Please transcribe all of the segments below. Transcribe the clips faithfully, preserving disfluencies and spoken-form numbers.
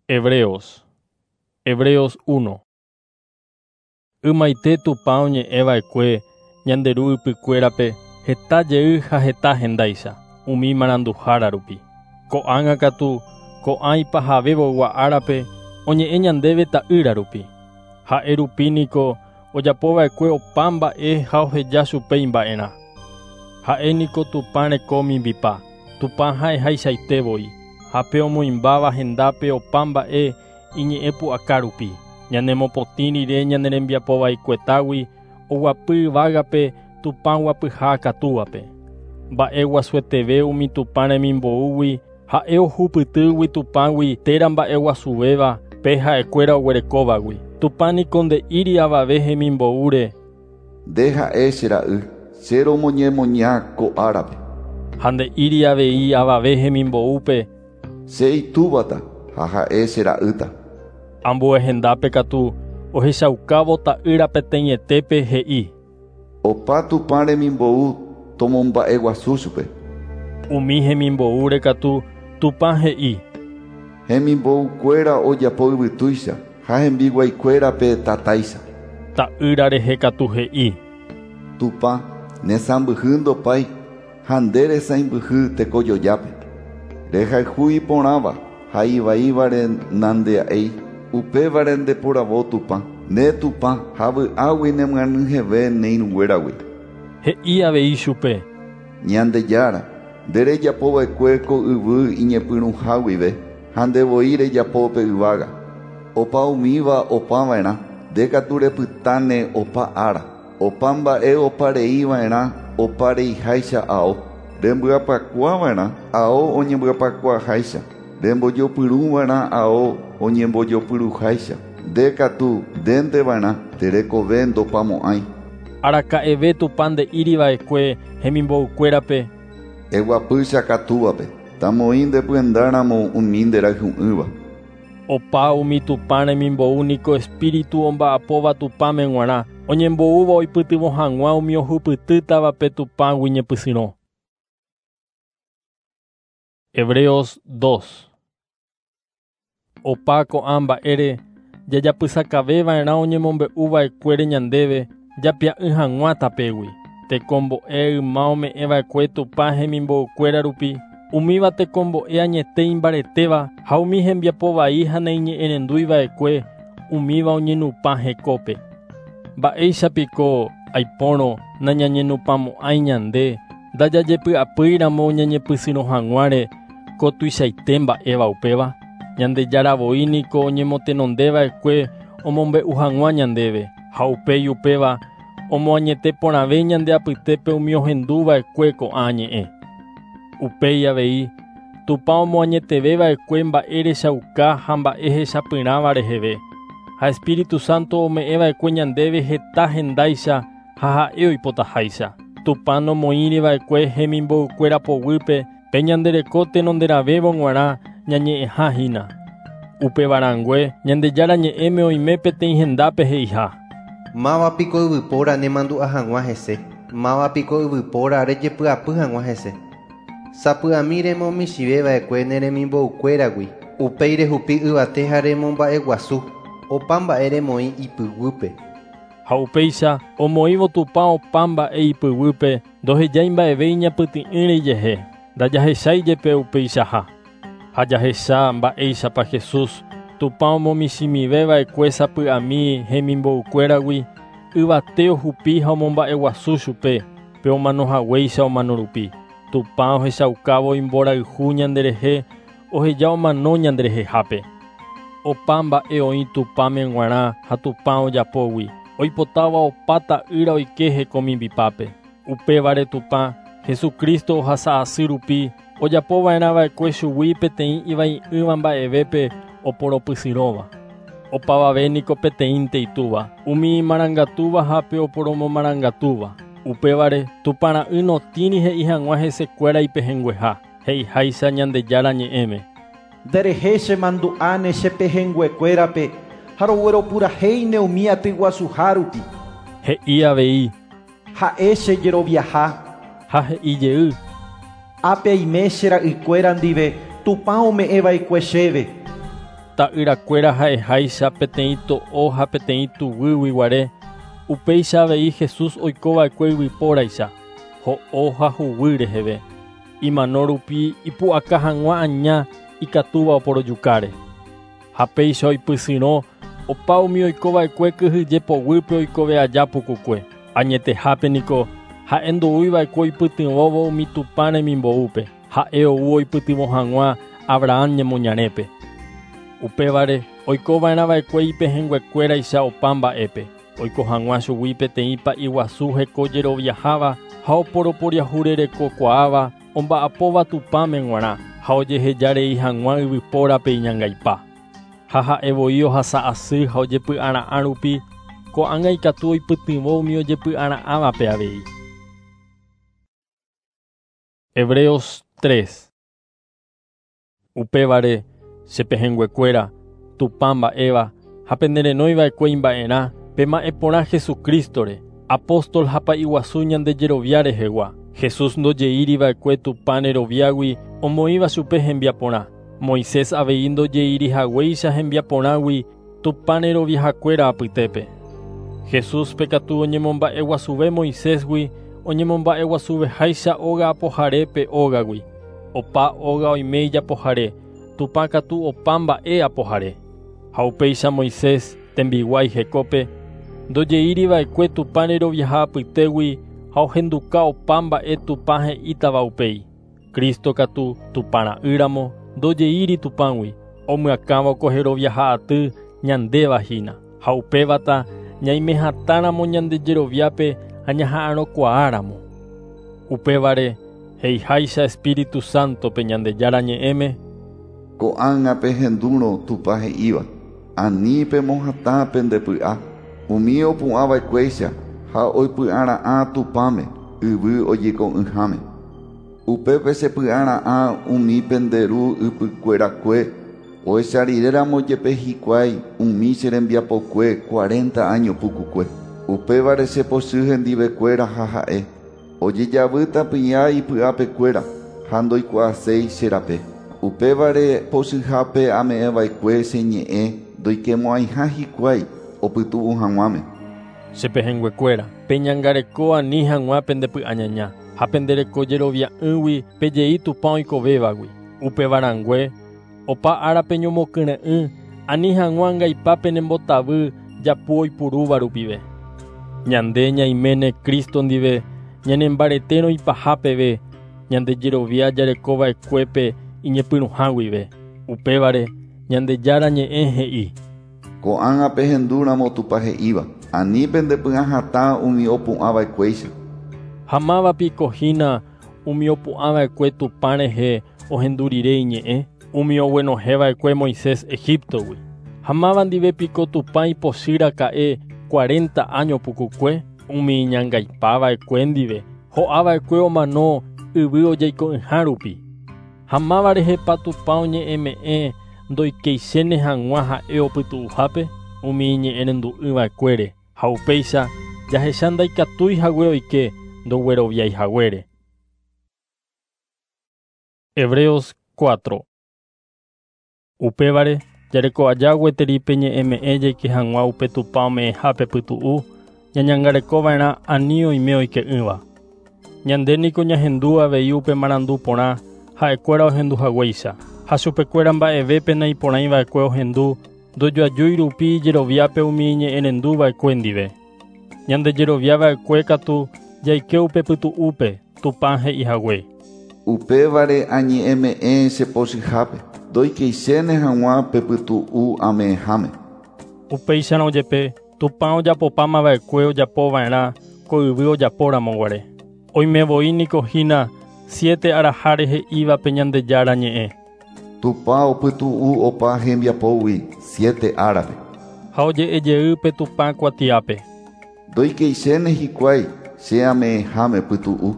Hebreos. Hebreos uno. Ymaite Tupã oñe'ẽva'ekue ñande ru ypykuérape heta jey ha heta hendáicha umi maranduhára rupi. Ko'ág̃a katu ko'ã ipahavévogua árape oñe'ẽ ñandéve ta'ýra rupi. Ha'e rupi niko ojapova'ekue opa mba'e ha oheja chupe imba'erã. Ha'e niko Tupã reko mimbipa, Tupã ha'ehaichaite voi, ha pe omoĩmbáva hendápe opa mba'e iñe'ẽ pu'aka rupi. Ñanemopotĩ rire ñane rembiapovaikuetágui oguapy yvágape Tupã guapyha akatúvape. Mba'e guasueteve umi Tupã remimboúgui ha'e ohupytýgui Tupãgui térã mba'e guasuvéva pe ha'ekuéra oguerekóvagui. Tupã niko nde'íri avave hemimboúre. Nde ha'e che ra'y, che romoñemoña ko árape. Ha nde'íri avei avave hemimboúpe. Che itúvata ha ha'e che ra'ýta. Ambue hendápe katu ohechaukávo ta'ýra peteĩetépe he'i. Opa Tupã remimbou tomomba'eguasu chupe. Umi hemimboúre katu Tupã he'i. Hemimboukuéra ojapo yvytúicha ha hembiguaikuérape tatáicha. Ta'ýra rehe katu he'i. Tupã nesãmbyhy ndopái ha nde resãimbyhy tekojojápe. Rehayhu iporãva ha ivaívare nandea'éi. Upévare ndeporavo Tupã, ne Tupã ha vy'águi nemyanyhẽve ne irũnguéragui. He'i avei chupe. Ñandejára, nde rejapova'ekue ko yvy iñepyrũha guive ha ndevoi rejapo pe yvága. Opa umíva opava'erã, nde katu repytáne opa ára. Opa mba'e opareiva'erã opareiháicha ao. Rembyapakuava'erã ao oñembyapakuaháicha. Rembojopyrũva'erã ao oñembojopyruháicha. Nde katu ndénteva'erã terekove ndopamo'ãi. Araka'eve Tupã nde'íriva'ekue hemimboukuérape. Eguapy che akatúvape, tamoĩ ndepyendáramo umi nderayhu'ỹva. Opa umi Tupã remimbou niko espíritu omba'apóva Tupãme g̃uarã, oñemboúva oipytyvõ hag̃ua umi ohupytýtavape Tupãgui ñepysyrõ. Hebreos dos. Opa ko'ã mba'ére jajapysakaveva'erã oñemombe'uva'ekuére ñandéve japia'ỹ hag̃ua tapégui. Tekombo'e yma ome'ẽva'ekue Tupã hemimboukuéra rupi, umíva tekombo'e añete imbaretéva ha umi hembiapovai ha naiñe'ẽrenduiva'ekue umíva oñenupã hekópe. Mba'éichapiko aipórõ nañañenupãmo'ãi ñande ndajajepy'apýiramo ñañepysyrõ hag̃uáre ko tuichaite mba'éva upéva. Ñandejára voi niko oñemotenondeva'ekue omombe'u hag̃ua ñandéve ha upéi upéva omoañete porãve ñande apytépe umi ohenduva'ekue ko'ã ñe'ẽ. Upéi avei Tupã omoañeteveva'ekue mba'e rechauka ha mba'e hechapyrãva reheve ha Espíritu Santo ome'ẽva'ekue ñandéve heta hendáicha ha ha'e oipotaháicha. Tupã nomoĩriva'ekue hemimboukuéra poguýpe pe ñandereko tenonderãvévo g̃uarã ñañe'ẽha hína. Upevarãngue Ñandejára ñe'ẽme oime peteĩ hendápe he'iha. Mávapiko yvypóra nemandu'a hag̃ua hese, mávapiko yvypóra rejepy'apy hag̃ua hese. Sapy'ami remomichĩveva'ekue ne remimboukuéragui, upéi rehupi yvate ha remomba'eguasu, opa mba'e remoĩ ipyguýpe. Ha upéicha omoĩvo Tupã opa mba'e ipyguýpe ndohejái mba'eve iñapytĩ'ỹre ijehe, ndajahechái jepe upeichaha. Ha jahecha mba'éichapa Jesús Tupã omomichĩmiveva'ekue sapy'ami hemimboukuéragui yvate ohupi ha omomba'eguasu chupe pe omanohaguéicha omano rupi. Tupã ohechaukávo imborayhu ñanderehe oheja omano ñanderehehápe. Opa mba'e oĩ Tupãme g̃uarã ha Tupã ojapógui oipotáva opa ta'ýra oike hekomimbipápe. Upévare Tupã Jesucristo ohasa asy rupi ojapova'erãva'ekue chugui peteĩ ivai'ỹva mba'evépe oporopysyrõva. Opavave niko peteĩnte itúva, umi imarangatúva ha pe oporomomarangatúva. Upévare Tupã ra'y notĩri he'i hag̃ua hesekuéra ipehẽngueha, he'iháicha Ñandejára ñe'ẽme. Nderehe chemandu'áne che pehẽnguekuérape ha rogueropurahéine umi atyguasuha rupi. He'i avei. Ha'e che jeroviaha. Ha he'i jey. Ápe aime che ra'ykuéra ndive Tupã ome'ẽva'ekue chéve. Ta'yrakuéra ha'eháicha peteĩ to'o ha peteĩ tuguýgui guare, upéicha avei Jesús oikova'ekue yvypóraicha, ho'o ha huguy reheve. Imano rupi ipu'aka hag̃ua aña ikatúva oporojukáre. Ha péicha oipysyrõ opa umi oikova'ekue kyhyje poguýpe oikove aja pukukue. Añetehápe niko ha'e ndoúiva'ekue oipytyvõvo umi Tupã remimboúpe. Ha'e ou oipytyvõ hag̃ua Abraham ñemoñarépe. Upévare oikova'erãva'ekue ipehẽnguekuéraicha opa mba'épe. Oiko hag̃ua chugui peteĩ pa'i guasu heko jeroviaháva ha oporoporiahurerekokuaáva omba'apóva Tupãme g̃uarã ha ojehejarei hag̃ua yvypórape iñangaipa. Ha ha'e voi ohasa asy ha ojepy'ara'ã rupi ko'ág̃a ikatu oipytyvõ umi ojepy'ara'ãvape avei. Hebreos tres. Upévare che pehẽnguekuéra, Tupã mba'éva ha penderenóiva'ekue imba'erã, pema'ẽ porã Jesucrístore, apóstol ha pa'i guasu ñande jerovia rehegua. Jesús ndojeíriva'ekue Tupã reroviágui omoĩva chupe hembiaporã. Moisés avei ndojeirihaguéicha hembiaporãgui Tupã reroviahakuéra apytépe. Jesúspe katu oñemomba'eguasuve Moisésgui, oñemomba'eguasuveháicha óga apoharépe ógagui. Opa óga oime ijapohare, Tupã katu opa mba'e apohare. Ha upéicha Moisés tembiguái hekópe ndojeíriva'ekue Tupã reroviaha apytégui ha ohenduka opa mba'e Tupã he'ítava upéi. Cristo katu Tupã ra'ýramo ndojeíri Tupãgui, omyakãvo ko heroviaha aty ñandéva hína. Ha upévata ñaimehatãramo ñande jeroviápe ha ñaha'arõkuaáramo. Upévare he'iháicha Espíritu Santo-pe Ñandejára ñe'ẽme: Ko'ág̃a pehendúrõ Tupã he'íva, ani pemohatã pendepy'a, umi opu'ãva'ekuéicha ha oipy'ara'ã Tupãme yvy ojeiko'ỹháme. Upépe chepy'ara'ã umi pende ru ypykuerakue ohechariréramo jepe hikuái umi che rembiapokue cuarenta año pukukue. Upévare chepochy hendivekuéra ha ha'e ojejavýta py'a ipy'apekuéra ha ndoikuaaséi che rape. Upévare pochyhápe ame'ẽva'ekue che ñe'ẽ ndoikemo'ãiha hikuái opytu'u hag̃uáme. Che pehẽnguekuéra, peñangareko ani hag̃ua pendepy'añaña ha pendereko jerovia'ỹgui pejei Tupã oikovévagui. Upevarãngue opa ára peñomokyre'ỹ ani hag̃ua angaipa penembotavy japu oipurúva rupive. Ñande ñaiméne Cristo ndive ñanembaretérõ ipaha peve ñande jerovia jarekova'ekuépe iñepyrũha guive. Upévare Ñandejára ñe'ẽ he'i: Ko'ág̃a pehendúramo Tupã he'íva, ani pendepy'ahatã umi opu'ãva'ekuéicha. Ha mávapiko hína umi opu'ãva'ekue Tupã rehe ohendu rire iñe'ẽ, umi oguenohẽva'ekue Moisés Egiptogui. Ha máva ndive piko Tupã ipochýraka'e cuarenta año pukukue, umi iñangaipava'ekue ndive, ho'ava'ekue omano yvy ojeiko'ỹha rupi. Ha máva rehepa Tupã oñe'ẽme'ẽ ndoikeichéne hag̃ua ha'e opytu'uhápe, umi iñe'ẽrendu'ỹva'ekuére. Ha upéicha jahecha ndaikatúi hague oike ndogueroviaihaguére. Hebreos cuatro. Upévare jareko aja gueteri peñe'ẽme'ẽ jaike hag̃ua upe Tupã ome'ẽhápe pytu'u, ñañangarekova'erã ani oime oike'ỹva. Ñande niko ñahendu avei upe marandu porã ha'ekuéra ohenduhaguéicha. Ha chupekuéra mba'evépe naiporãiva'ekue ohendu ndojoajúi rupi ijeroviápe umi iñe'ẽrenduva'ekue ndive. Ñande jeroviava'ekue katu jaike upe pytu'úpe Tupã he'ihague. Upévare añe'ẽme'ẽ che pochyhápe, ndoikeichéne hag̃ua pe pytu'u ame'ẽháme. Upéicharõ jepe Tupã ojapopámava'ekue ojapova'erã ko yvy ojapóramo guare. Oime voi niko hína siete araháre he'íva pe Ñandejára ñe'ẽ. Tupã opytu'u opa hembiapógui siete árape. Ha oje'ejey pe Tupã kuatiápe. Ndoikeichéne hikuái che ame'ẽháme pytu'u.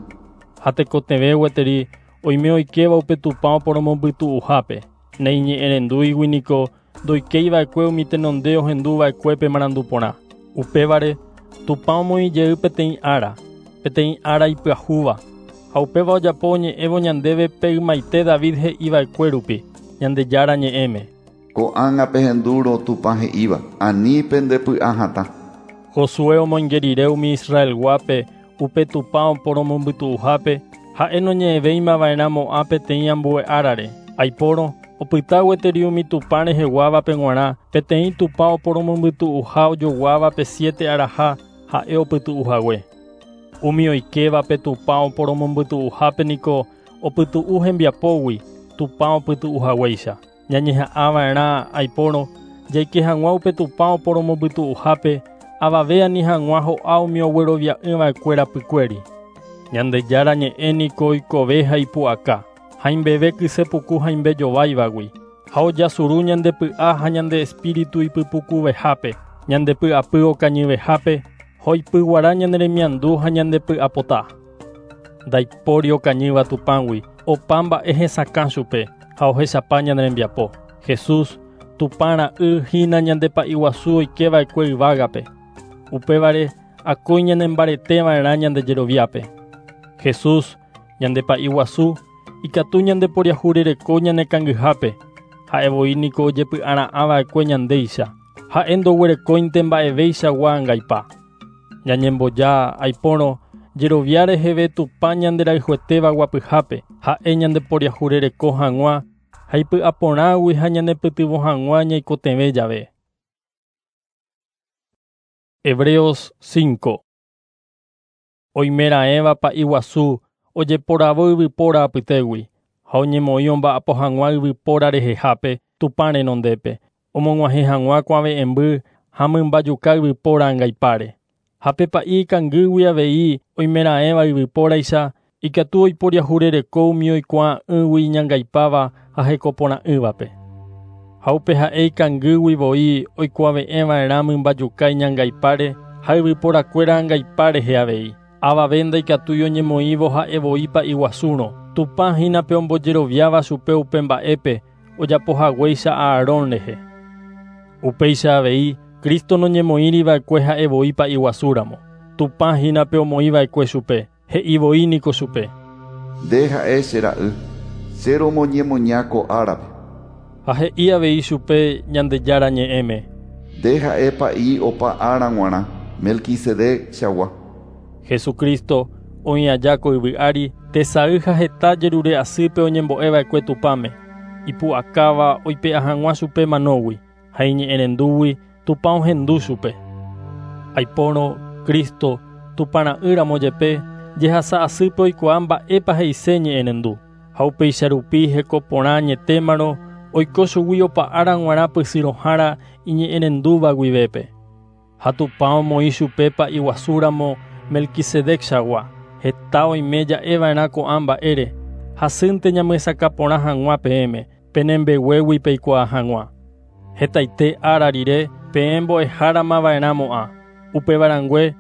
Ha tekotevẽ gueteri oime oikéva upe Tupã oporomombytu'uhápe. Naiñe'ẽrendúigui niko ndoikeiva'ekue umi tenonde ohenduva'ekuépe marandu porã. Upévare Tupã omoĩjey peteĩ ára, peteĩ ára ipyahúva. Ha upéva ojapo oñe'ẽvo ñandéve pe ymaite David he'iva'ekue rupi, Ñandejára ñe'ẽme. Ko'ág̃a pehendúrõ Tupã he'íva, ani pendepy'ahatã. Josué omoinge rire umi Israelguápe upe Tupã oporomombytu'uhápe, ha'e noñe'ẽvéimava'erãmo'ã peteĩ ambue árare. Aipórõ opyta gueteri umi Tupã reheguávape g̃uarã peteĩ Tupã oporomombytu'uha ojoguáva pe siete araha ha'e opytu'uhague. Umi oikévape Tupã oporomombytu'uhápe niko opytu'u hembiapógui Tupã opytu'uhaguéicha. Ñañeha'ãva'erã aipórõ jaike hag̃ua upe Tupã oporomombytu'uhápe avave ani hag̃ua ho'a umi oguerovia'ỹva'ekue rapykuéri. Ñandejára ñe'ẽ niko oikove ha ipu'aka, haimbeve kysepuku haimbe jováivagui, ha ojasuru ñandepy'a ha ñande espíritu ipypukuvehápe, ñandepy'apy okañyvehápe, hoipyguara ñane remiandu ha ñandepy'apota. Ndaipóri okañýva Tupãgui, opa mba'e hesakã chupe ha ohechapa ñane rembiapo. Jesús, Tupã ra'y hína ñandepa'i guasu oikeva'ekue yvágape. Upévare akói ñanembareteva'erã ñande jeroviápe. Jesús, ñandepa'i guasu, ikatu ñandeporiahurereko ñanekangyhápe, ha'e voi niko ojepy'ara'ãva'ekue ñandéicha, ha'e ndoguerekóinte mba'evéichagua angaipa. Ñañemboja aipórõ jerovia reheve Tupã ñanderayhuetéva guapyhápe, ha'e ñandeporiahurereko hag̃ua ha ipy'aporãgui ha ñanepytyvõ hag̃ua ñaikotevẽ jave. Hebreos cinco. Oimeraẽva pa'i guasu ojeporavo yvypóra apytégui ha oñemoĩ omba'apo hag̃ua yvypóra rehehápe Tupã renondépe, omog̃uahẽ hag̃ua kuave'ẽmby ha mymbajuka yvypóra angaipáre. Ha pe pa'i ikangýgui avei oimeraẽva yvypóraicha ikatu oiporiahurereko umi oikuaa'ỹgui iñangaipáva ha hekoporã'ỹvape. Ha upe ha'e ikangýgui voi oikuave'ẽva'erã mymbajuka iñangaipáre ha yvyporakuéra angaipa rehe avei. Avave ndaikatúi oñemoĩvo ha'e voi pa'i guasúrõ. Tupã hína pe ombojeroviáva chupe upe mba'épe ojapohaguéicha Aarón rehe. Upéicha avei Cristo noñemoĩriva'ekue ha'e voi pa'i guasúramo. Tupã hína pe omoĩva'ekue chupe, he'i voi niko chupe. Nde ha'e che ra'y, che romoñemoña ko árape. Ha he'i avei chupe Ñandejára ñe'ẽme. Nde ha'e pa'i opa ára g̃uarã, Melquisedec chagua. Jesucristo oĩ aja ko yvy ári tesay ha heta jerure asýpe oñembo'eva'ekue Tupãme, ipu'akáva oipe'a hag̃ua chupe manógui ha iñe'ẽrendúgui Tupã ohendu chupe. Aipórõ Cristo Tupã ra'ýramo jepe jehasa asýpe oikuaa mba'épa he'ise ñe'ẽrendu, ha upéicha rupi heko porã añetémarõ oiko chugui opa ára g̃uarã pysyrõhára iñe'ẽrendúva guivépe. Ha Tupã omoĩ chupe pa'i guasúramo Melquisedec chagua. Heta oime ja'eva'erã ko'ã mba'ére, hasýnte ñamyesakã porã hag̃ua peẽme, penembeguégui peikuaa hag̃ua. Hetaite ára rire peẽ mbo'eháramava'erãmo'ã. Upevarãngue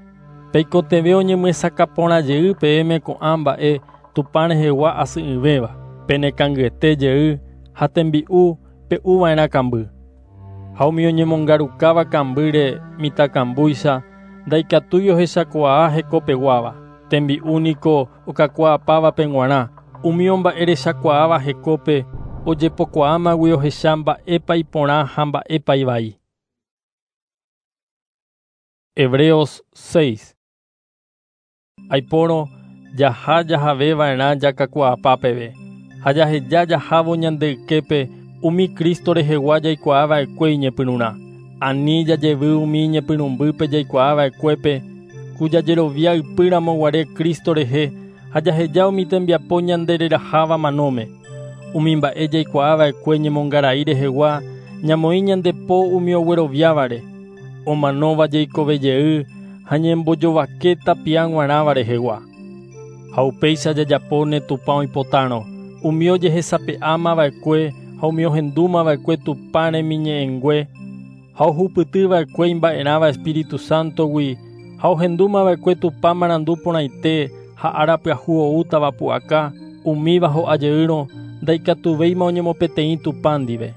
peikotevẽ oñemyesakã porã jey peẽme ko'ã mba'e Tupã rehegua asy'ỹvéva, penekangyete jey ha tembi'u pe'uva'erã kamby. Ha umi oñemongarukáva kambýre mitãkambúicha ndaikatúi ohechakuaa hekopeguáva. Tembi'u niko okakuaapávape g̃uarã, umi omba'erechakuaáva hekópe ojepokuaámagui ohecha mba'épa iporã ha mba'épa ivai. Hebreos seis. Aipórõ jaha jahaveva'erã jakakuaapa peve, ha jaheja jahávo ñande yképe umi Cristo rehegua jaikuaava'ekue iñepyrũrã. Ani jajevy umi iñepyrũmbýpe jaikuaava'ekuépe ku jajerovia ypýramo guare Cristo rehe ha jaheja umi tembiapo ñandereraháva manóme. Umi mba'e jaikuaava'ekue ñemongarai rehegua ñamoĩ ñande po umi ogueroviávare, omanóva jaikove jey ha ñembojovake tapia g̃uarãva rehegua. Ha upéicha jajapóne Tupã oipotárõ, umi ojehesape'ámava'ekue ha umi ohendúmava'ekue Tupã remiñe'ẽngue ha ohupytyva'ekue imba'erãva Espíritu Santogui ha ohendúmava'ekue Tupã marandu porãite ha ára pyahu oútava pu'aka, umíva ho'a jeýrõ ndaikatuvéima oñemopeteĩ Tupã ndive.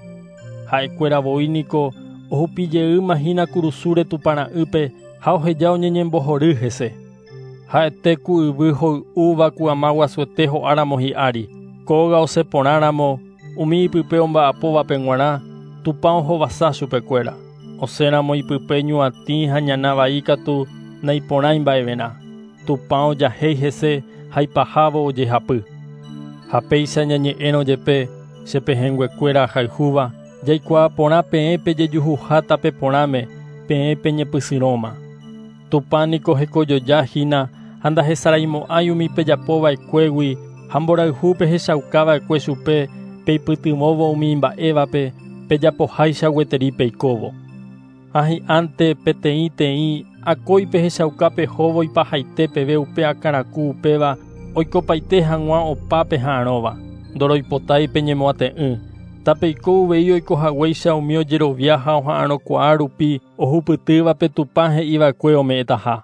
Ha'ekuéra voi niko ohupijeýma hína kurusúre Tupã ra'ýpe ha oheja oñeñembohory hese. Ha'ete ku yvy hoy'úva ku ama guasuete ho'áramo hi'ári. Kóga osẽ porãramo umi ipype omba'apóvape g̃uarã, Tupã ohovasa chupekuéra. Osẽramo ipype ñuatĩ ha ñana vai katu naiporãi mba'everã. Tupã ojahéi hese ha ipahávo ojehapy. Ha péicha ñañe'ẽrõ jepe che pehẽnguekuéra ahayhúva, jaikuaa porã peẽ pejejuhuha tape porãme, peẽ peñepysyrõma. Tupã niko hekojojahína ha ndahesaraimo'ãi umi pejapova'ekuégui ha mborayhu pehechaukava'ekue chupe peipytyvõvo umi imba'évape pejapoháicha gueteri peikóvo. Ha hi'ánte peteĩteĩ akói pehechauka pehóvo ipahaite peve upe akãraku upéva oikopaite hag̃ua opa peha'arõva. Ndoroipotái peñemoate'ỹ. Tapeiko uvei oikohaguéicha umi ojerovia ha oha'arõkuaa rupi ohupytývape Tupã he'iva'ekue ome'ẽtaha.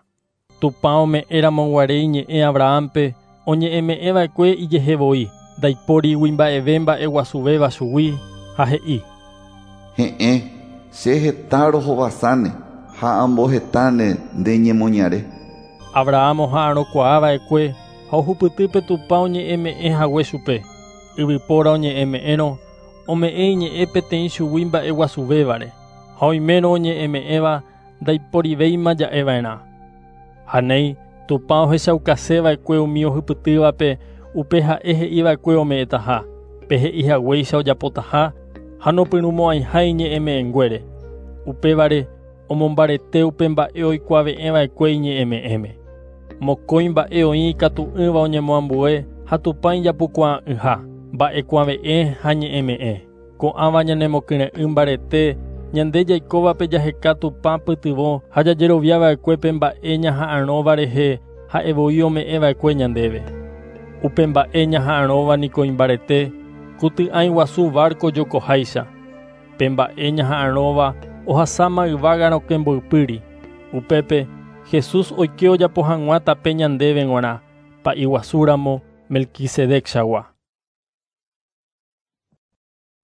Tupã ome'ẽramoguare iñe'ẽ Abrahampe oñe'ẽme'ẽva'ekue ijehevoi, ndaipórigui mba'eve mba'eguasuvéva chugui ha he'i: He'ẽ, che heta rohovasáne ha ambohetáne nde ñemoñare. Abraham oha'arõkuaava'ekue ha ohupytýpe Tupã oñe'ẽme'ẽhague chupe. Yvypóra oñe'ẽme'ẽrõ ome'ẽ iñe'ẽ peteĩ chugui mba'eguasuvévare ha oimérõ oñe'ẽme'ẽva ndaiporivéima ja'eva'erã. Ha néi Tupã ohechaukaseva'ekue umi ohupytývape upe ha'e he'iva'ekue ome'ẽtaha, pe he'ihaguéicha ojapotaha ha nopyrũmo'ãiha iñe'ẽme'ẽnguére. Upévare omombarete upe mba'e oikuave'ẽva'ekue iñe'ẽme'ẽme. Mokõi mba'e oĩ ikatu'ỹva oñemoambue ha Tupã ijapukuaa'ỹha, mba'ekuave'ẽ ha ñe'ẽme'ẽ. Ko'ãva ñanemokyre'ỹ mbarete ñande jaikóvape jaheka Tupã pytyvõ ha jajeroviava'ekue pe mba'e ñaha'arõva rehe ha'evoi ome'ẽva'ekue ñandéve. Upe mba'e ñaha'arõva niko imbarete ku ty'ãi guasu barco jokoháicha. Pe mba'e ñaha'arõva ohasáma yvága rokẽ mboypýri. Upépe Jesús oike ojapo hag̃ua tape ñandéve g̃uarã, pa'i guasúramo Melquisedec-chagua.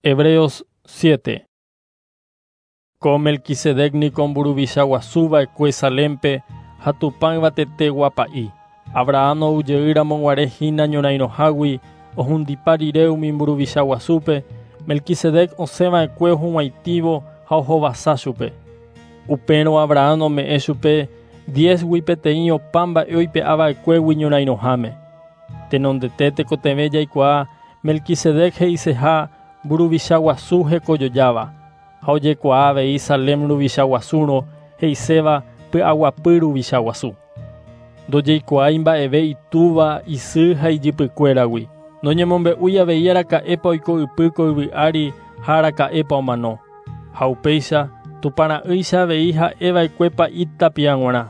Hebreos siete. Ko Melquisedec niko mburuvicha guasuva'ekue Salempe ha Tupã yvatetegua pa'i. Abraham oujeýramoguare hína ñorairõhágui ohundipa rire umi mburuvicha guasúpe, Melquisedec osẽva'ekue ohug̃uaitĩvo ha ohovasa chupe. Upérõ Abraham ome'ẽ chupe diezgui peteĩ opa mba'e oipe'ava'ekuégui ñorairõháme. Tenondete tekotevẽ jaikuaa Melquisedec he'iseha mburuvicha guasu hekojojáva ha ojekuaa avei Salem ruvicha guasúrõ he'iséva py'aguapy ruvicha guasu. Ndojeikuaái mba'eve itúva, isy ha ijypykuéragui. Noñemombe'úi avei araka'épa oiko ypy ko yvy ári ha araka'épa omano. Ha upéicha Tupãra'ýicha avei ha'eva'ekue pa'i tapia g̃uarã.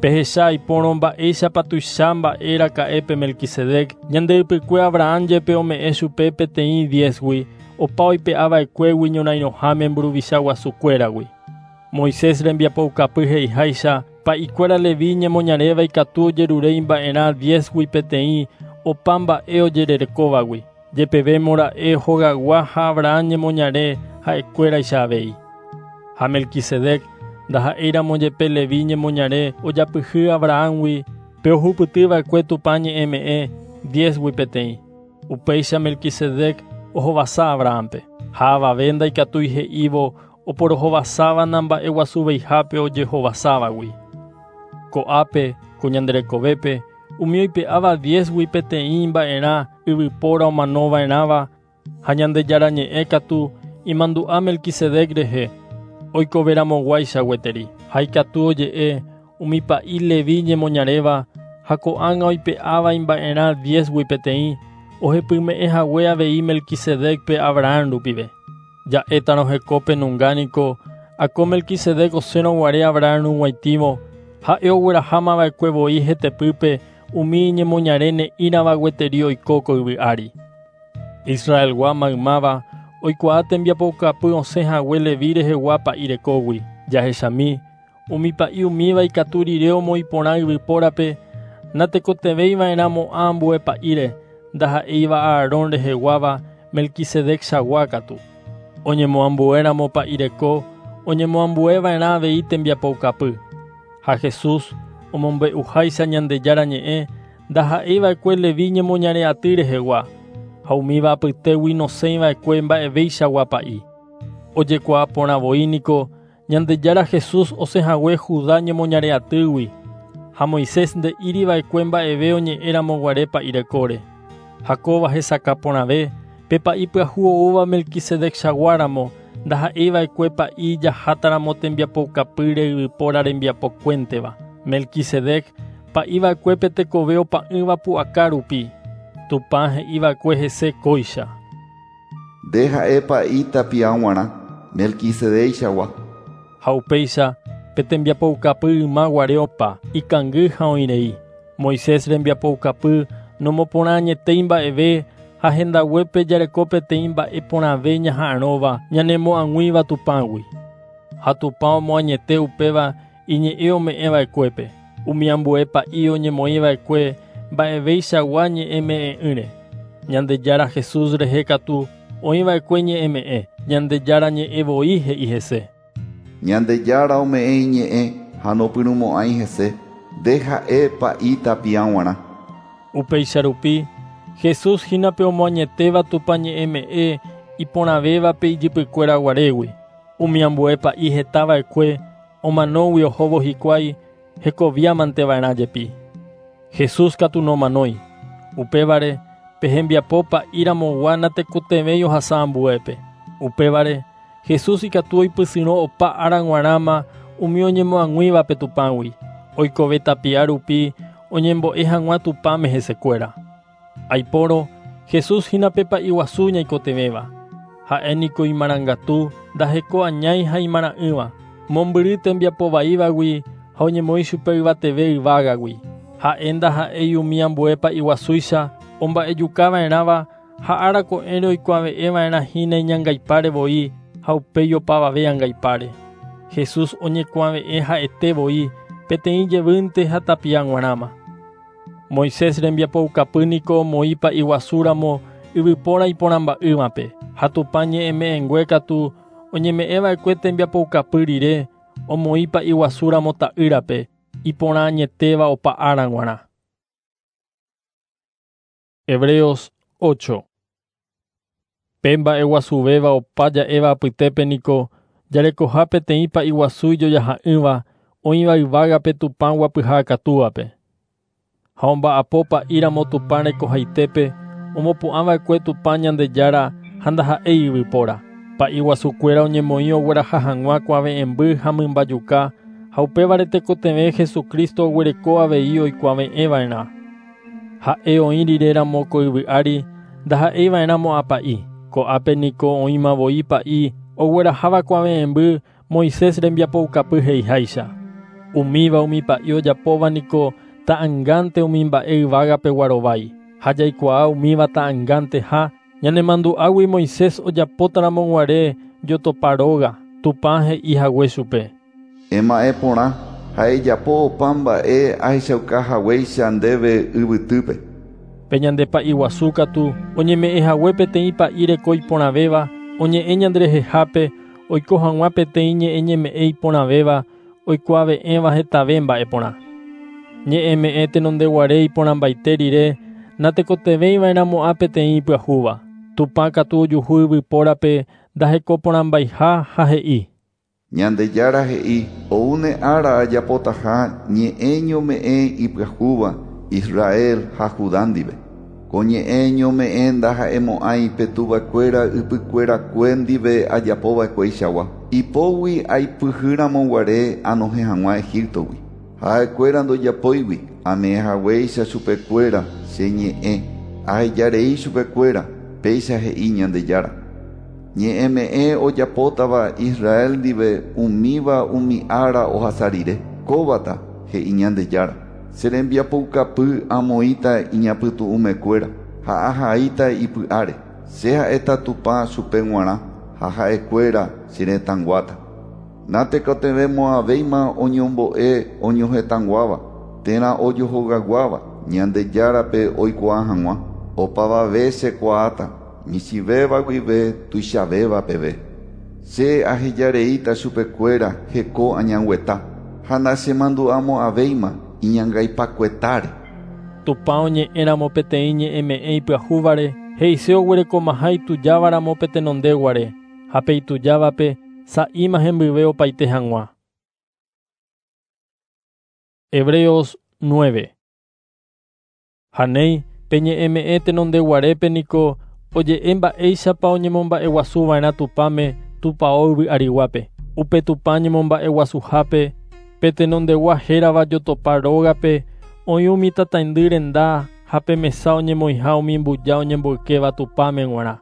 Pehecha aipórõ mba'éichapa tuicha mba'e raka'épe Melquisedec ñande ypykue Abraham jepe ome'ẽ chupe peteĩ diezgui opa oipe'ava'ekuégui ñorairõháme mburuvicha guasukuéragui. Moisés rembiapoukapy he'iháicha pa'ikuéra Levi ñemoñaréva ikatu ojerure imba'erã diezgui peteĩ opa mba'e ojererekóvagui, jepevémo ra'e hogaygua ha Abraham ñemoñare ha'ekuéraicha avei. Ha Melquisedec ndaha'éiramo jepe Levi ñemoñare ojapyhy Abrahamgui pe ohupytyva'ekue Tupã ñe'ẽme'ẽ diezgui peteĩ. Upéicha Melquisedec ohovasa Abrahampe. Ha avave ndaikatúi he'ívo oporohovasáva namba'eguasuveihápe ojehovasávagui. Ko'ápe ko ñanderekovépe umi oipe'áva diezgui peteĩ mba'erã yvypóra omanova'erãva ha Ñandejára ñe'ẽ katu imandu'a Melquisedec rehe oikoveramoguáicha gueteri. Ha ikatu oje'e umi pa'i Levi ñemoñaréva ha ko'ág̃a oipe'áva imba'erã diezgui peteĩ ohepyme'ẽhague avei Melquisedecpe Abraham rupive. Ja'étarõ hekópe nunga niko ako Melquisedec osẽrõguare Abraham rug̃uaitĩvo ha'e oguerahámava'ekue voi hetepýpe umi iñemoñare ne'ĩrava gueteri oiko ko yvy ári. Israelgua maymáva oikuaa tembiapoukapy osẽhague Levi rehegua pa'i rekógui. Jahechami umi pa'i umíva ikatu rire omoĩporã yvypórape natekotevẽiva'erãmo'ã ambue pa'íre ndaha'éiva Aarón reheguáva Melquisedec-chagua katu. Oñemoambuéramo pa'i reko oñemoambueva'erã avei tembiapoukapy. Ha Jesús omombe'uháicha Ñandejára ñe'ẽ ndaha'éiva'ekue Levi ñemoñare aty rehegua ha umíva apytégui nosẽiva'ekue mba'evéichagua pa'i. Ojekuaa porã voi niko Ñandejára Jesús osẽhague Judá ñemoñare'atýgui ha Moisés nde'íriva'ekue mba'eve oñe'ẽramoguare pa'i rekóre. Ha kóva hesakã porãve pe pa'i pyahu oúva Melquisedec-chaguáramo ndaha'eiva'ekue pa'i jahátaramo tembiapoukapýre yvypóra rembiapokuénteva. Melquisedec pa'iva'ekue pe tekove opa'ỹva pu'aka rupi. Tupã he'iva'ekue hese kóicha. Nde ha'e pa'i tapia g̃uarã Melquisedec-chagua. Ha upéicha pe tembiapoukapy ymaguare opa ikangy ha oĩrei. Moisés rembiapoukapy nomoporã añetéi mba'eve ha hendaguépe jareko peteĩ mba'e porãve ñaha'arõva ñanemo'ag̃uíva Tupãgui. Ha Tupã omoañete upéva iñe'ẽ ome'ẽva'ekuépe. Umi ambue pa'i oñemoĩva'ekue mba'eveichagua ñe'ẽme'ẽ'ỹre. Ñandejára Jesús rehe katu oĩva'ekue ñe'ẽme'ẽ. Ñandejára ñe'ẽ voi he'i hese. Ñandejára ome'ẽ iñe'ẽ ha nopyrũmo'ãi hese. Nde ha'e pa'i tapia g̃uarã. Upéicha rupi Jesús hína pe omoañetéva Tupã ñe'ẽme'ẽ iporãvévape ijypykuéra guarégui. Umi ambue pa'i hetava'ekue omanógui ohóvo hikuái hekoviamanteva'erã jepi. Jesús katu nomanói. Upévare pe hembiapo pa'íramogua natekotevẽi ohasa ambuépe. Upévare Jesús ikatu oipysyrõ opa ára g̃uarãma umi oñemo'ag̃uívape Tupãgui. Oikove tapia rupi oñembo'e hag̃ua Tupãme hesekuéra. Aipórõ Jesús hína pe pa'i guasu ñaikotevẽva. Ha'e niko imarangatu ndaheko añái ha imara'ỹva. Mombyry tembiapovaívagui ha oñemoĩ chupe yvateve yvágagui. Ha'e ndaha'éi umi ambue pa'i guasúicha omba'ejukava'erãva ha ára ko'ẽre oikuave'ẽva'erã hína iñangaipáre voi ha upéi opavave angaipáre. Jesús oñekuave'ẽ ha'ete voi peteĩ jevýnte ha tapia g̃uarãma. Moisés rembiapoukapy niko omoĩ pa'i guasúramo yvypóra iporãmba'ỹvape ha Tupã ñe'ẽme'ẽngue katu oñeme'ẽva'ekue tembiapoukapy rire omoĩ pa'i guasúramo ta'ýrape iporã añetéva opa ára g̃uarã. Hebreos ocho. Pe mba'eguasuvéva opa ja'éva apytépe niko jarekoha peteĩ pa'i guasu ijojaha'ỹva oĩva yvágape Tupã guapyha akatúvape. Ha omba'apo pa'íramo Tupã rekohaitépe omopu'ãva'ekue Tupã Ñandejára ha ndaha'éi yvypóra. Pa'i guasukuéra oñemoĩ ogueraha hag̃ua kuave'ẽmby ha mymbajuka ha upévare tekotevẽ Jesucristo oguereko avei oikuave'ẽva'erã. Ha'e oĩ riréramo ko yvy ári ndaha'eiva'erãmo'ã pa'i. Ko'ápe niko oĩma voi pa'i ogueraháva kuave'ẽmby Moisés rembiapoukapy he'iháicha. Umíva umi pa'i ojapóva niko ta'angánte umi mba'e yvágape guarovái. Ha jaikuaa umíva ta'angánteha ñanemandu'águi Moisés ojapótaramo guare jotopa róga Tupã he'i hague chupe. Ema'ẽ porã ha ejapo opa mba'e ahechauka haguéicha ndéve yvytýpe. Pe ñande pa'i guasu katu oñeme'ẽ hague peteĩ pa'i reko iporãvéva oñe'ẽ ñanderehehápe oiko hag̃ua peteĩ ñe'ẽ ñeme'ẽ iporãvéva oikuave'ẽva hetave mba'e porã. Ñe'ẽme'ẽ tenondeguare iporãmbaite rire natekotevẽiva'erãmo'ã peteĩ ipyahúva. Tupã katu ojuhu yvypórape ndahekoporãmbaiha ha he'i. Ñandejára he'i oúne ára ajapotaha ñe'ẽ ñome'ẽ ipyahúva Israel ha Judá ndive. Ko ñe'ẽ ñome'ẽ ndaha'emo'ãi pe tuvakuéra ypykuerakue ndive ajapova'ekueichagua. Ipógui aipyhýramoguare anohẽ hag̃ua Egiptogui. Ha'ekuéra ndojapóigui ame'ẽ haguéicha chupekuéra che ñe'ẽ ahejarei chupekuéra péicha he'i Ñandejára. Ñe'ẽme'ẽ ojapótava Israel ndive umíva umi ára ohasa rire. Kóvata he'i Ñandejára. Che rembiapoukapy amoĩta iñapytu'ũmekuéra ha ahaíta ipy'áre. Che ha'éta Tupã chupe g̃uarã ha ha'ekuéra che retãguáta. Natekotevẽmo'ãvéima oñombo'e oñohetãguáva térã ojohogaguáva Ñandejárape oikuaa hag̃ua. Opavave chekuaáta michĩvéva guive tuichavéva peve. Che ahejareíta chupekuéra heko añangueta ha nachemandu'amo'ãvéima iñangaipakuetáre. Tupã oñe'ẽramo peteĩ ñe'ẽme'ẽ ipyahúvare he'ise oguerekomaha itujávaramo pe tenondeguare. Ha pe itujávape sa'íma hembyve opaite hag̃ua. Hebreos nueve. Ha néi pe ñe'ẽme'ẽ tenondeguarépe niko oje'e mba'éichapa oñemomba'eguasuva'erã Tupãme tupão yvy ariguápe. Upe Tupã ñemomba'eguasuhápe pe tenondegua hérava jotopa rógape oĩ umi tataindy renda ha pe mesa oñemoĩha umi mbuja oñemboykéva Tupãme g̃uarã.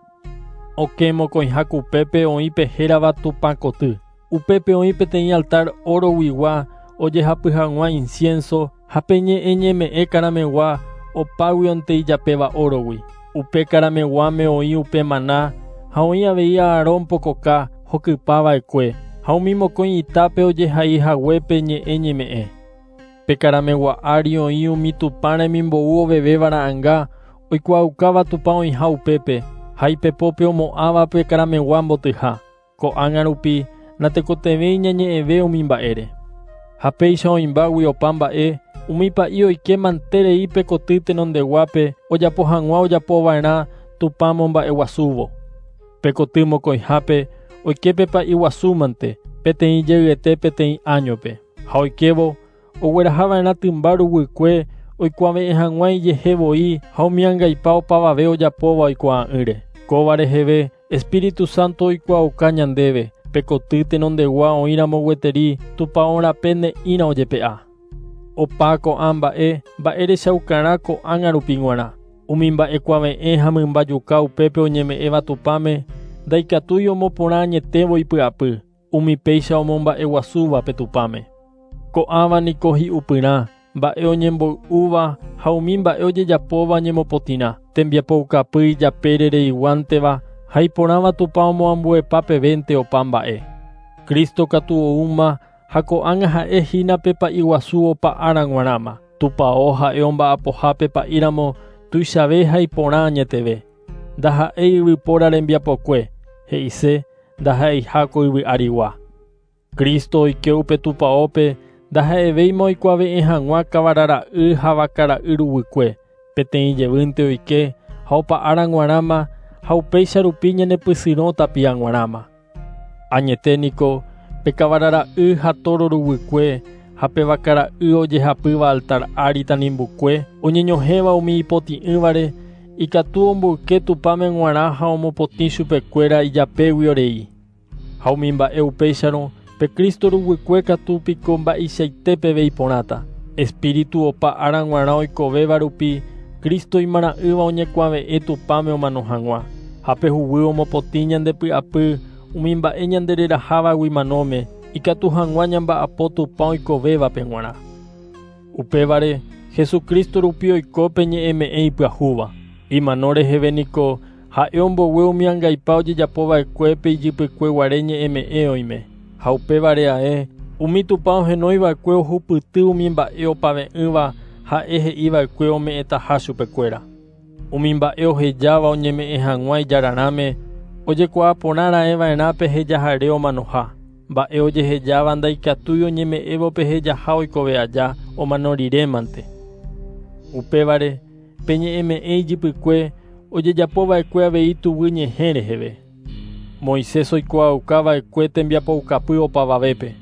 Okẽ mokõiha kupépe oĩ pe hérava Tupãkoty. Upépe oĩ peteĩ altar oroguigua ojehapy hag̃ua incienso ha pe ñe'ẽ ñeme'ẽ karamegua opáguionte ijapéva orogui. Upe karameguáme oĩ upe maná ha oĩ avei Aarón pokoka hokypava'ekue ha umi mokõi itápe ojehai haguépe ñe'ẽ ñeme'ẽ. Pe karamegua ári oĩ umi Tupã remimbou ovevéva ra'ãnga oikuaaukáva Tupã oĩha upépe ha ipepópe omo'ãva pe karamegua mbotyha. Ko'ág̃a rupi natekotevẽi ñañe'ẽve umi mba'ére. Ha péicha oĩmbágui opa mba'e umi pa'i oike manterei pe koty tenondeguápe ojapo hag̃ua ojapova'erã Tupã momba'eguasúvo. Pe koty mokõihápe oike pe pa'i guasúmante peteĩ jeyete peteĩ áñope. Ha oikévo oguerahava'erã tymba ruguykue oikuave'ẽ hag̃ua ijehe voi ha umi angaipa opavave ojapóva oikuaa'ỹre. Kóva reheve Espíritu Santo oikuaauka ñandéve pe koty tenondegua oĩramo gueteri tupão rape ne'ĩra ojepe'a. Opa ko'ã mba'e mba'erechaukarã ko'ág̃a rupi g̃uarã. Umi mba'ekuave'ẽ ha mymbajuka upépe oñeme'ẽva Tupãme ndaikatúi omoporã añetévo ipy'apy umi péicha omomba'eguasúva pe Tupãme. Ko'ãva niko hi'upyrã mba'e oñemboy'úva ha umi mba'e ojejapóva ñemopotĩrã tembiapoukapy ijapére reiguánteva ha iporãva Tupã omoambuepa pevénte opa mba'e. Cristo katu oúma ha ko'ág̃a ha'e hína pe pa'i guasu opa ára g̃uarãma. Tupão ha'e omba'apohápe pa'íramo tuichave ha iporã añeteve. Ndaha'éi yvypóra rembiapokue, he'ise ndaha'eiha ko yvy arigua. Cristo oike upe tupãópe ndaha'evéima oikuave'ẽ hag̃ua kavarara'y ha vakara'y ruguykue. Peteĩ jevýnte oike ha opa ára g̃uarãma ha upéicha rupi ñanepysyrõ tapia g̃uarãma. Añete niko pe kavarara'y ha toro ruguykue ha pe vakara'y ojehapýva altar ári tanimbukue oñeñohẽva umi ipotĩ'ỹvare ikatu omboyke Tupãme g̃uarã ha omopotĩ chupekuéra ijapégui orei. Ha umi mba'e upéicharõ pe Cristo ruguykue katu piko mba'eichaite peve iporãta. Espíritu opa ára g̃uarã oikovéva rupi Cristo imarã'ỹva oñekuave'ẽ Tupãme omano hag̃ua. Ha pe huguy omopotĩ ñandepy'apy umi mba'e ñandererahávagui manóme ikatu hag̃ua ñamba'apo Tupã oikovévape g̃uarã. Upévare Jesucristo rupi oiko pe ñe'ẽme'ẽ ipyahúva. Imano reheve niko ha'e ombogue umi angaipa ojejapova'ekue pe ijypykueguare ñe'ẽme'ẽ oime. Ha upévare ae umi Tupã ohenoiva'ekue ohupyty umi mba'e opave'ỹva ha'e he'iva'ekue ome'ẽtaha chupekuéra. Umi mba'e ohejáva oñeme'ẽ hag̃ua ijararãme ojekuaa porã raẽva'erã pe hejahare omanoha. Mba'e ojehejáva ndaikatúi oñeme'ẽvo pe hejaha oikove aja omano rirémante. Upévare pe ñe'ẽme'ẽ ijypykue ojejapova'ekue avei tuguy ñehẽ reheve. Moisés oikuaaukava'ekue tembiapoukapy opavavépe.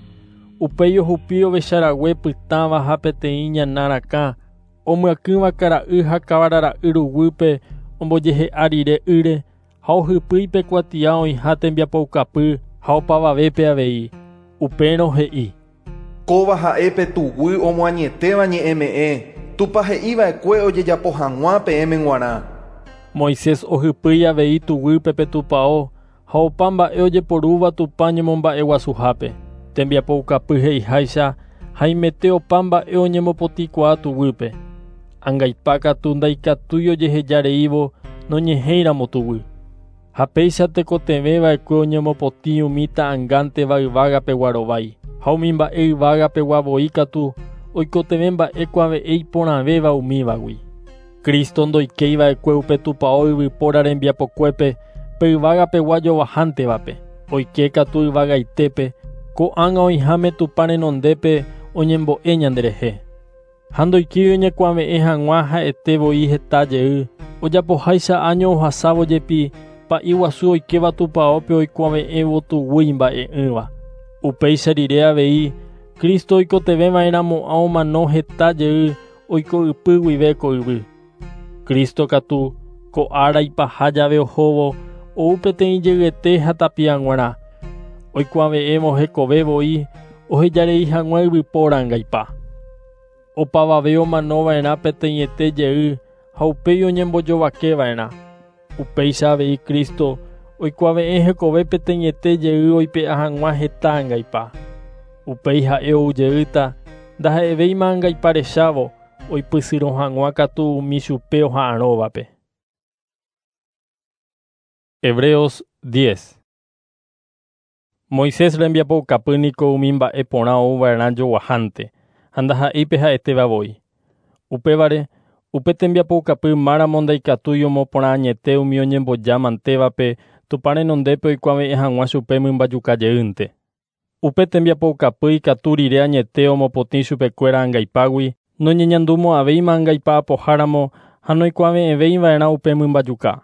Upéi ohupi ovecharague pytãva ha peteĩ ñana rakã omyakỹva kara'y ha kavarara'y ruguýpe ombojehe'a rire ýre ha ohypýi pe kuatia oĩha tembiapoukapy ha opavavépe avei. Upérõ he'i: Kóva ha'e pe tuguy omoañetéva ñe'ẽme'ẽ Tupã he'iva'ekue ojejapo hag̃ua peẽme g̃uarã. Moisés ohypýi avei tuguýpe pe tupão ha opa mba'e ojeporúva Tupã ñemomba'eguasuhápe. Tembiapoukapy he'iháicha haimete opa mba'e oñemopotĩkuaa tuguýpe. Angaipa katu ndaikatúi ojehejareívo noñehẽiramo tuguy. Ha péicha tekotevẽva'ekue oñemopotĩ umi ta'ãngánteva yvágapegua rovái. Ha umi mba'e yvágapegua voi katu oikotevẽ mba'e kuave'ẽ iporãvéva umívagui. Cristo ndoikéiva'ekue upe tupão yvypóra rembiapokuépe pe yvágapegua jovahántevape. Oike katu yvagaitépe ko'ág̃a oĩháme Tupã renondépe oñembo'e ñanderehe. Ha ndoikéi oñekuave'ẽ hag̃ua ha'ete voi heta jey ojapoháicha año ohasávo jepi Pa'i guasu oikéva tupaópe oikuave'ẽvo tuguy mba'e'ỹva. Upéicha rire avei Cristo oikotevẽva'erãmo'ã omano heta jey oiko ypy guive ko yvy. Cristo katu ko ára ipaha jave ohóvo ou peteĩ jeyete ha tapia g̃uarã. Oikuave'ẽvo hekove voi ohejarei hag̃ua yvypóra angaipa. Opavave omanova'erã peteĩete jey ha upéi oñembojovakeva'erã. Upéicha avei Cristo oikuave'ẽ hekove peteĩete jey oipe'a hag̃ua heta angaipa. Upéi ha'e ou jeýta ndaha'evéima angaipa rechávo oipysyrõ hag̃ua katu umi chupe oha'arõvape. Hebreos diez. Moisés rembiapoukapy niko umi mba'e porã ouva'erã joguahánte ha ndaha'éipe ha'etéva voi. Upévare upe tembiapoukapy máramo ndaikatúi omoporã añete umi oñembojámantévape Tupã renondépe oikuave'ẽ hag̃ua chupe mymbajuka jeýnte. Upe tembiapoukapy ikatu rire añete omopotĩ chupekuéra angaipágui noñeñandumo'ãvéima angaipa apoháramo ha noikuave'ẽvéiva'erã upe mymbajuka.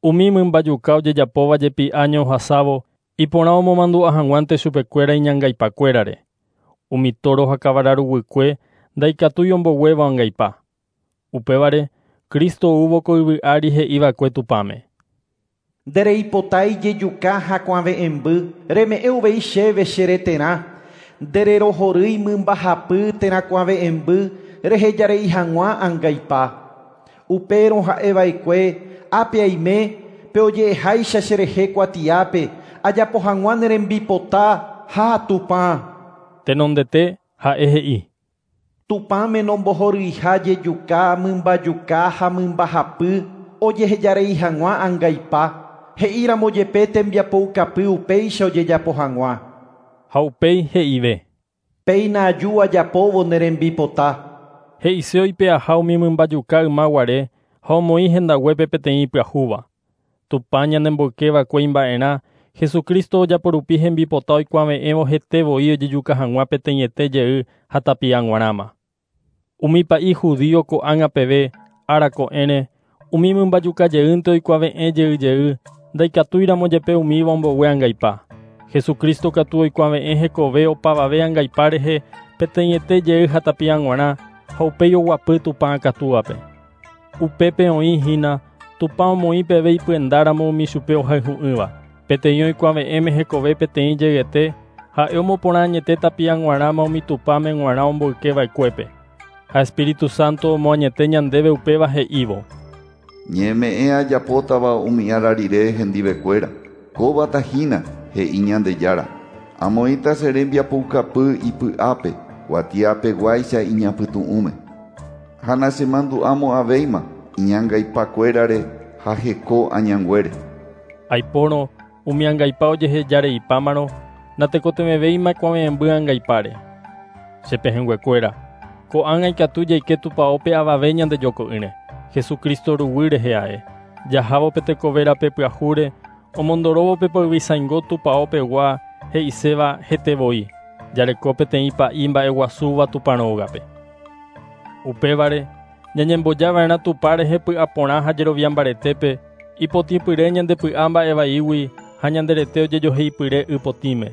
Umi mymbajuka ojejapóva jepi año ohasávo iporã omomandu'a hag̃uánte chupekuéra iñangaipakuérare. Umi toro ha kavara ruguykue ndaikatúi omboguéva angaipa. Upévare Cristo oúvo ko yvy ári he'iva'ekue Tupãme. Ndereipotái jejuka hakuave'ẽmby reme'ẽ uvei chéve che reterã. Ndererohorýi mymbahapy térã kuave'ẽmby rehejarei hag̃ua angaipa. Upérõ ha'eva'ekue ápe aime pe oje'eháicha cherehe kuatiápe ajapo hag̃ua ne rembipota ha Tupã. Tenondete ha'e he'i. Tupãme nombohoryiha jejuka mymbajuka ha mymbahapy ojehejarei hag̃ua angaipa. He'íramo jepe tembiapoukapy upéicha ojejapo hag̃ua. Ha upéi he'ive. Péina aju ajapóvo ne rembipota. He'ise oipe'aha umi mymbajuka ymaguare ha omoĩ hendaguépe peteĩ ipyahúva. Tupã ñanemboykeva'ekue imba'erã Jesucristo ojaporupi hembipota oikuave'ẽvo hete voi ojejuka hag̃ua peteĩete jey ha tapia g̃uarãma. Umi pa'i judío ko'ág̃a peve ára ko'ẽre umi mymbajuka jeýnte oikuave'ẽ jey jey ndaikatúiramo jepe umíva ombogue angaipa. Jesucristo katu oikuave'ẽ hekove opavave angaipa rehe peteĩete jey ha tapia g̃uarã ha upéi oguapy Tupã akatúape. Upépe oĩ hína Tupã omoĩ peve ipyendáramo umi chupe ohayhu'ỹva. Peteĩ oikuave'ẽme hekove peteĩ jeyete ha'e omoporã añete tapia g̃uarãma umi Tupãme g̃uarã omboykeva'ekuépe. Ha Espíritu Santo omoañete ñandéve upéva he'ívo. Ñeme'ẽ ajapótava umi ára rire hendivekuéra. Kóvata hína he'i Ñandejára. Amoĩta che rembiapoukapy ipy'ápe kuatiapeguáicha iñapytu'ũme. Ha nachemandu'amo'ãvéima iñangaipakuérare ha heko añanguére. Aipórõ umi angaipa ojehejareipámarõ natekotevẽvéima kuave'ẽmby angaipáre. Che pehẽnguekuéra, ko'ág̃a ikatu jaike tupaópe avave ñandejoko'ỹre. Jesucristo ruguy rehe ae. Jahávo pe tekoverape pyahúre omondoróvo pe poyvisaingo tupaopegua he'iséva hete voi. Jareko peteĩ pa'i mba'eguasúva Tupã rógape. Upévare ñañembojava'erã Tupã rehe py'aporã ha jerovia mbaretépe ipotĩpyre ñandepy'a mba'evaígui ha ñanderete ojejoheipyre ypotĩme.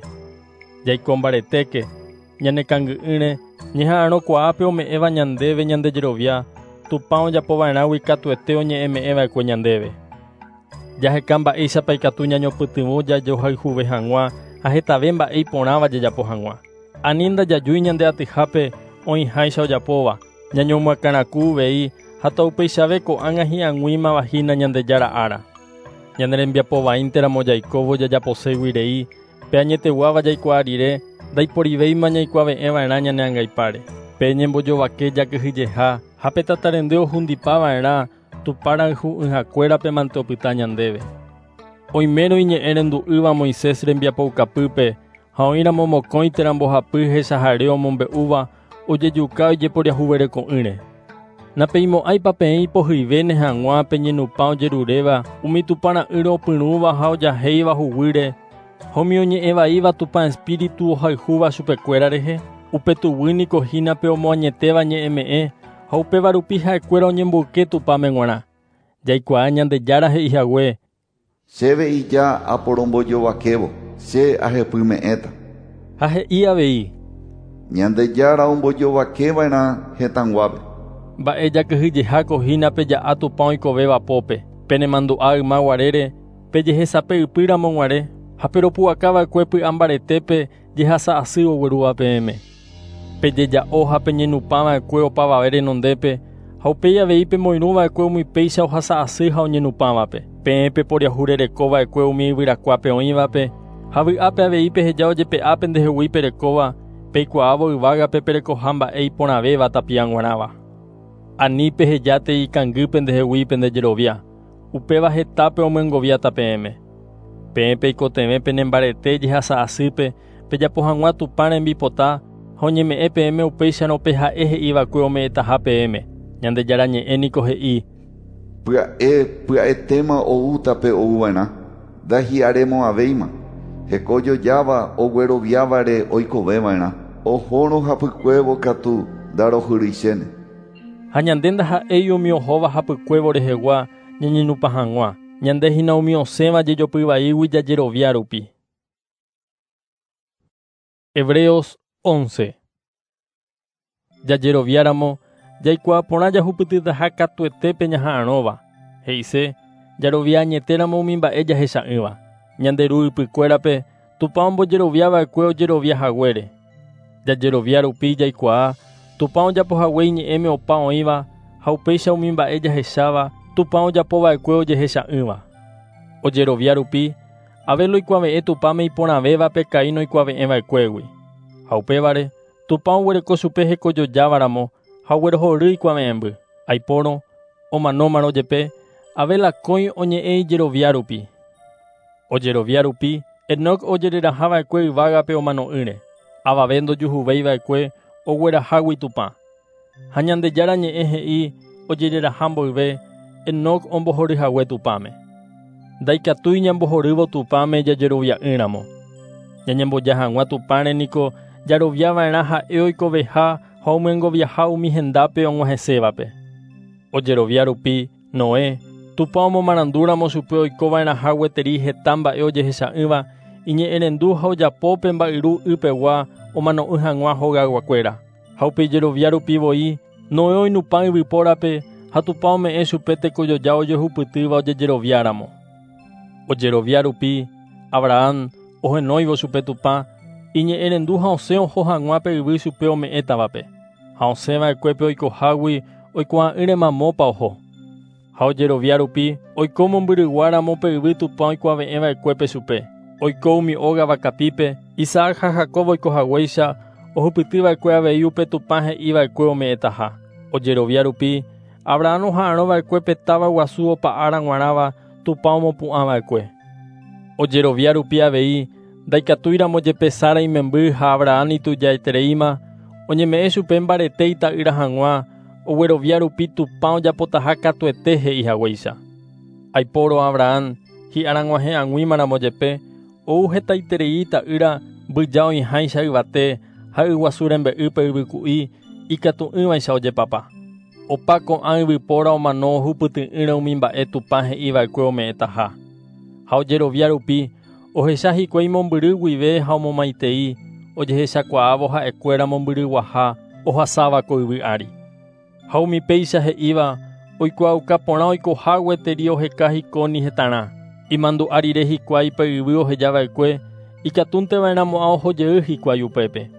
Jaiko mbaretéke ñanekangy'ỹre ñeha'arõkuaápe ome'ẽva ñandéve ñandejerovia Tupã ojapova'erãgui katuete oñe'ẽme'ẽva'ekue ñandéve. Jaheka mba'éichapa ikatu ñañopytyvõ jajohayhuve hag̃ua ha hetave mba'e iporãva jajapo hag̃ua. Ani ndajajúi ñande atyhápe oĩháicha ojapóva ñañomoakãraku uvei ha taupeichave ko'ág̃a hi'ag̃uímava hína Ñandejára ára. Ñane rembiapovaínteramo jaikóvo jajaposégui rei pe añeteguáva jaikuaa rire ndaiporivéima ñaikuave'ẽva'erã ñane angaipáre. Pe ñembojovake jakyhyjeha ha pe tatarendy ohundipava'erã Tupã rayhu'ỹhakuérape mante opyta ñandéve. Oimérõ iñe'ẽrendu'ỹva Moisés rembiapoukapýpe ha oĩramo mokõi térã mbohapy hechahare omombe'úva ojejuka ojeporiahuvereko'ỹre. Napeimo'ãipa peẽ ipohyivéne hag̃ua peñenupã ojeruréva umi Tupã ra'ýre opyrũva ha ojahéiva huguýre ha umi oñe'ẽvaíva Tupã espíritu ohayhúva chupekuéra rehe. Upe tuguy niko hína pe omoañetéva ñe'ẽme'ẽ ha upéva rupi ha'ekuéra oñemboyke Tupãme g̃uarã. Jaikuaa Ñandejára he'ihague. Chéve ija aporombojovakévo, che ahepyme'ẽta. Ha he'i avei: Ñandejára ombojovakeva'erã hetãguápe. Mba'e jakyhyjeháko hína peja'a Tupã oikovéva pópe, penemandu'a yma guarére, pejehesape ypýramo guare ha peropu'akava'ekue py'ambaretépe jehasa asy oguerúva peẽme. Pejeja'o ha peñenupãva'ekue opavave renondépe ha upéi avei pemoirũva'ekue umi péicha ohasa asy ha oñenupãvape. Peẽ peporiahurerekova'ekue umi yvyrakuápe oĩvape ha vy'ápe avei peheja ojepe'a pendehegui perekóva peikuaávo yvágape perekoha mba'e iporãvéva tapia g̃uarãva. Ani pehejátei ikangy pendehegui pendejerovia, upéva hetápe omyengoviáta peẽme. Peẽ peikotevẽ penembarete jehasa asýpe pejapo hag̃ua Tupã rembipota ha oñeme'ẽ peẽme upéicharõ pe ha'e he'iva'ekue ome'ẽtaha peẽme. Ñandejára ñe'ẽ niko he'i: Pya'e pya'etéma oúta pe ouva'erã, ndahi'aremo'ãvéima. Hekojojáva ogueroviávare oikoveva'erã, ohórõ hapykuévo katu ndarohyrýichéne. Ha ñande ndaha'éi umi ohóva hapykuévo rehegua ñañenupã hag̃ua, ñande hína umi osẽva jejopyvaígui jajerovia rupi. Hebreos once. Jajeroviáramo, jaikuaa porã jahupytytaha katuete ñaha'arõva. He'ise, jarovia añetéramo umi mba'e jahecha'ỹva. Ñande ru ypykuérape Tupã ombojeroviava'ekue ojerovia haguére. Jajerovia rupi jaikuaa Tupã ojapohague iñe'ẽme opa oĩva ha upéicha umi mba'e jahecháva Tupã ojapova'ekue ojehecha'ỹva. Ojerovia rupi Abel oikuave'ẽ Tupãme iporãvévape Caín oikuave'ẽva'ekuégui. Ha upévare Tupã oguereko chupe hekojojávaramo ha oguerohory ikuave'ẽmby. Aipórõ omanómarõ jepe Abel akói oñe'ẽ ijerovia rupi. Ojerovia rupi Enoc ojererahava'ekue yvágape omano'ỹre. Avave ndojuhuvéiva'ekue oguerahágui Tupã. Ha Ñandejára ñe'ẽ he'i ojereraha mboyve Enoc ombohoryhague Tupãme. Ndaikatúi ñambohorývo Tupãme jajerovia'ỹramo. Ñañemboja hag̃ua Tupãre niko jaroviava'erã ha'e oikoveha ha omyengoviaha umi hendápe og̃uahẽsévape. Ojerovia rupi Noé, Tupã omomarandúramo chupe oikova'erãha gueteri heta mba'e ojehecha'ỹva iñe'ẽrendu ha ojapo pe mba'yru ypegua omano'ỹ hag̃ua hogayguakuéra. Ha upe ijerovia rupi voi Noé oinupã yvypórape ha Tupã ome'ẽ chupe tekojoja ojehupytýva ojejeroviáramo. Ojerovia rupi Abraham ohenóivo chupe Tupã iñe'ẽrendu ha osẽ oho hag̃ua pe yvy chupe ome'ẽtavape. Ha osẽva'ekue pe oikohágui oikuaa'ỹre mamópa oho. Ha ojerovia rupi oiko mombyryguáramo pe yvy Tupã oikuave'ẽva'ekuépe chupe. Oiko umi óga vakapípe Isaac ha Jacob oikohaguéicha ohupytyva'ekue avei upe Tupã he'iva'ekue ome'ẽtaha. Ojerovia rupi Abraham oha'arõva'ekue pe táva guasu opa ára g̃uarãva Tupã omopu'ãva'ekue. Ojerovia rupi avei ndaikatúiramo jepe Sara imemby ha Abraham itujaitereíma oñeme'ẽ chupe mbarete ita'ýra hag̃ua oguerovia rupi Tupã ojapotaha katuete he'ihaguéicha. Aipóro Abraham hi'ára g̃uahẽ ag̃uímaramo jepe ou hetaiterei ita'ýra mbyja oĩháicha yvate ha yguasu rembe'ýpe yvyku'i ikatu'ỹvaicha ojepapa. Opa ko'ã yvypóra omano ohupyty'ỹre umi mba'e Tupã he'iva'ekue ome'ẽtaha. Ha ojerovia rupi ohecha hikuái mombyry guive ha omomaitei ojehechakuaávo ha'ekuéra mombyryguaha ohasáva ko yvy ári. Ha umi péicha he'íva oikuaauka porã oikoha gueteri oheka hikóni hetarã. Imandu'a rire hikuái pe yvy ohejava'ekue ikatúnteva'erãmo'ã ohojey hikuái upépe.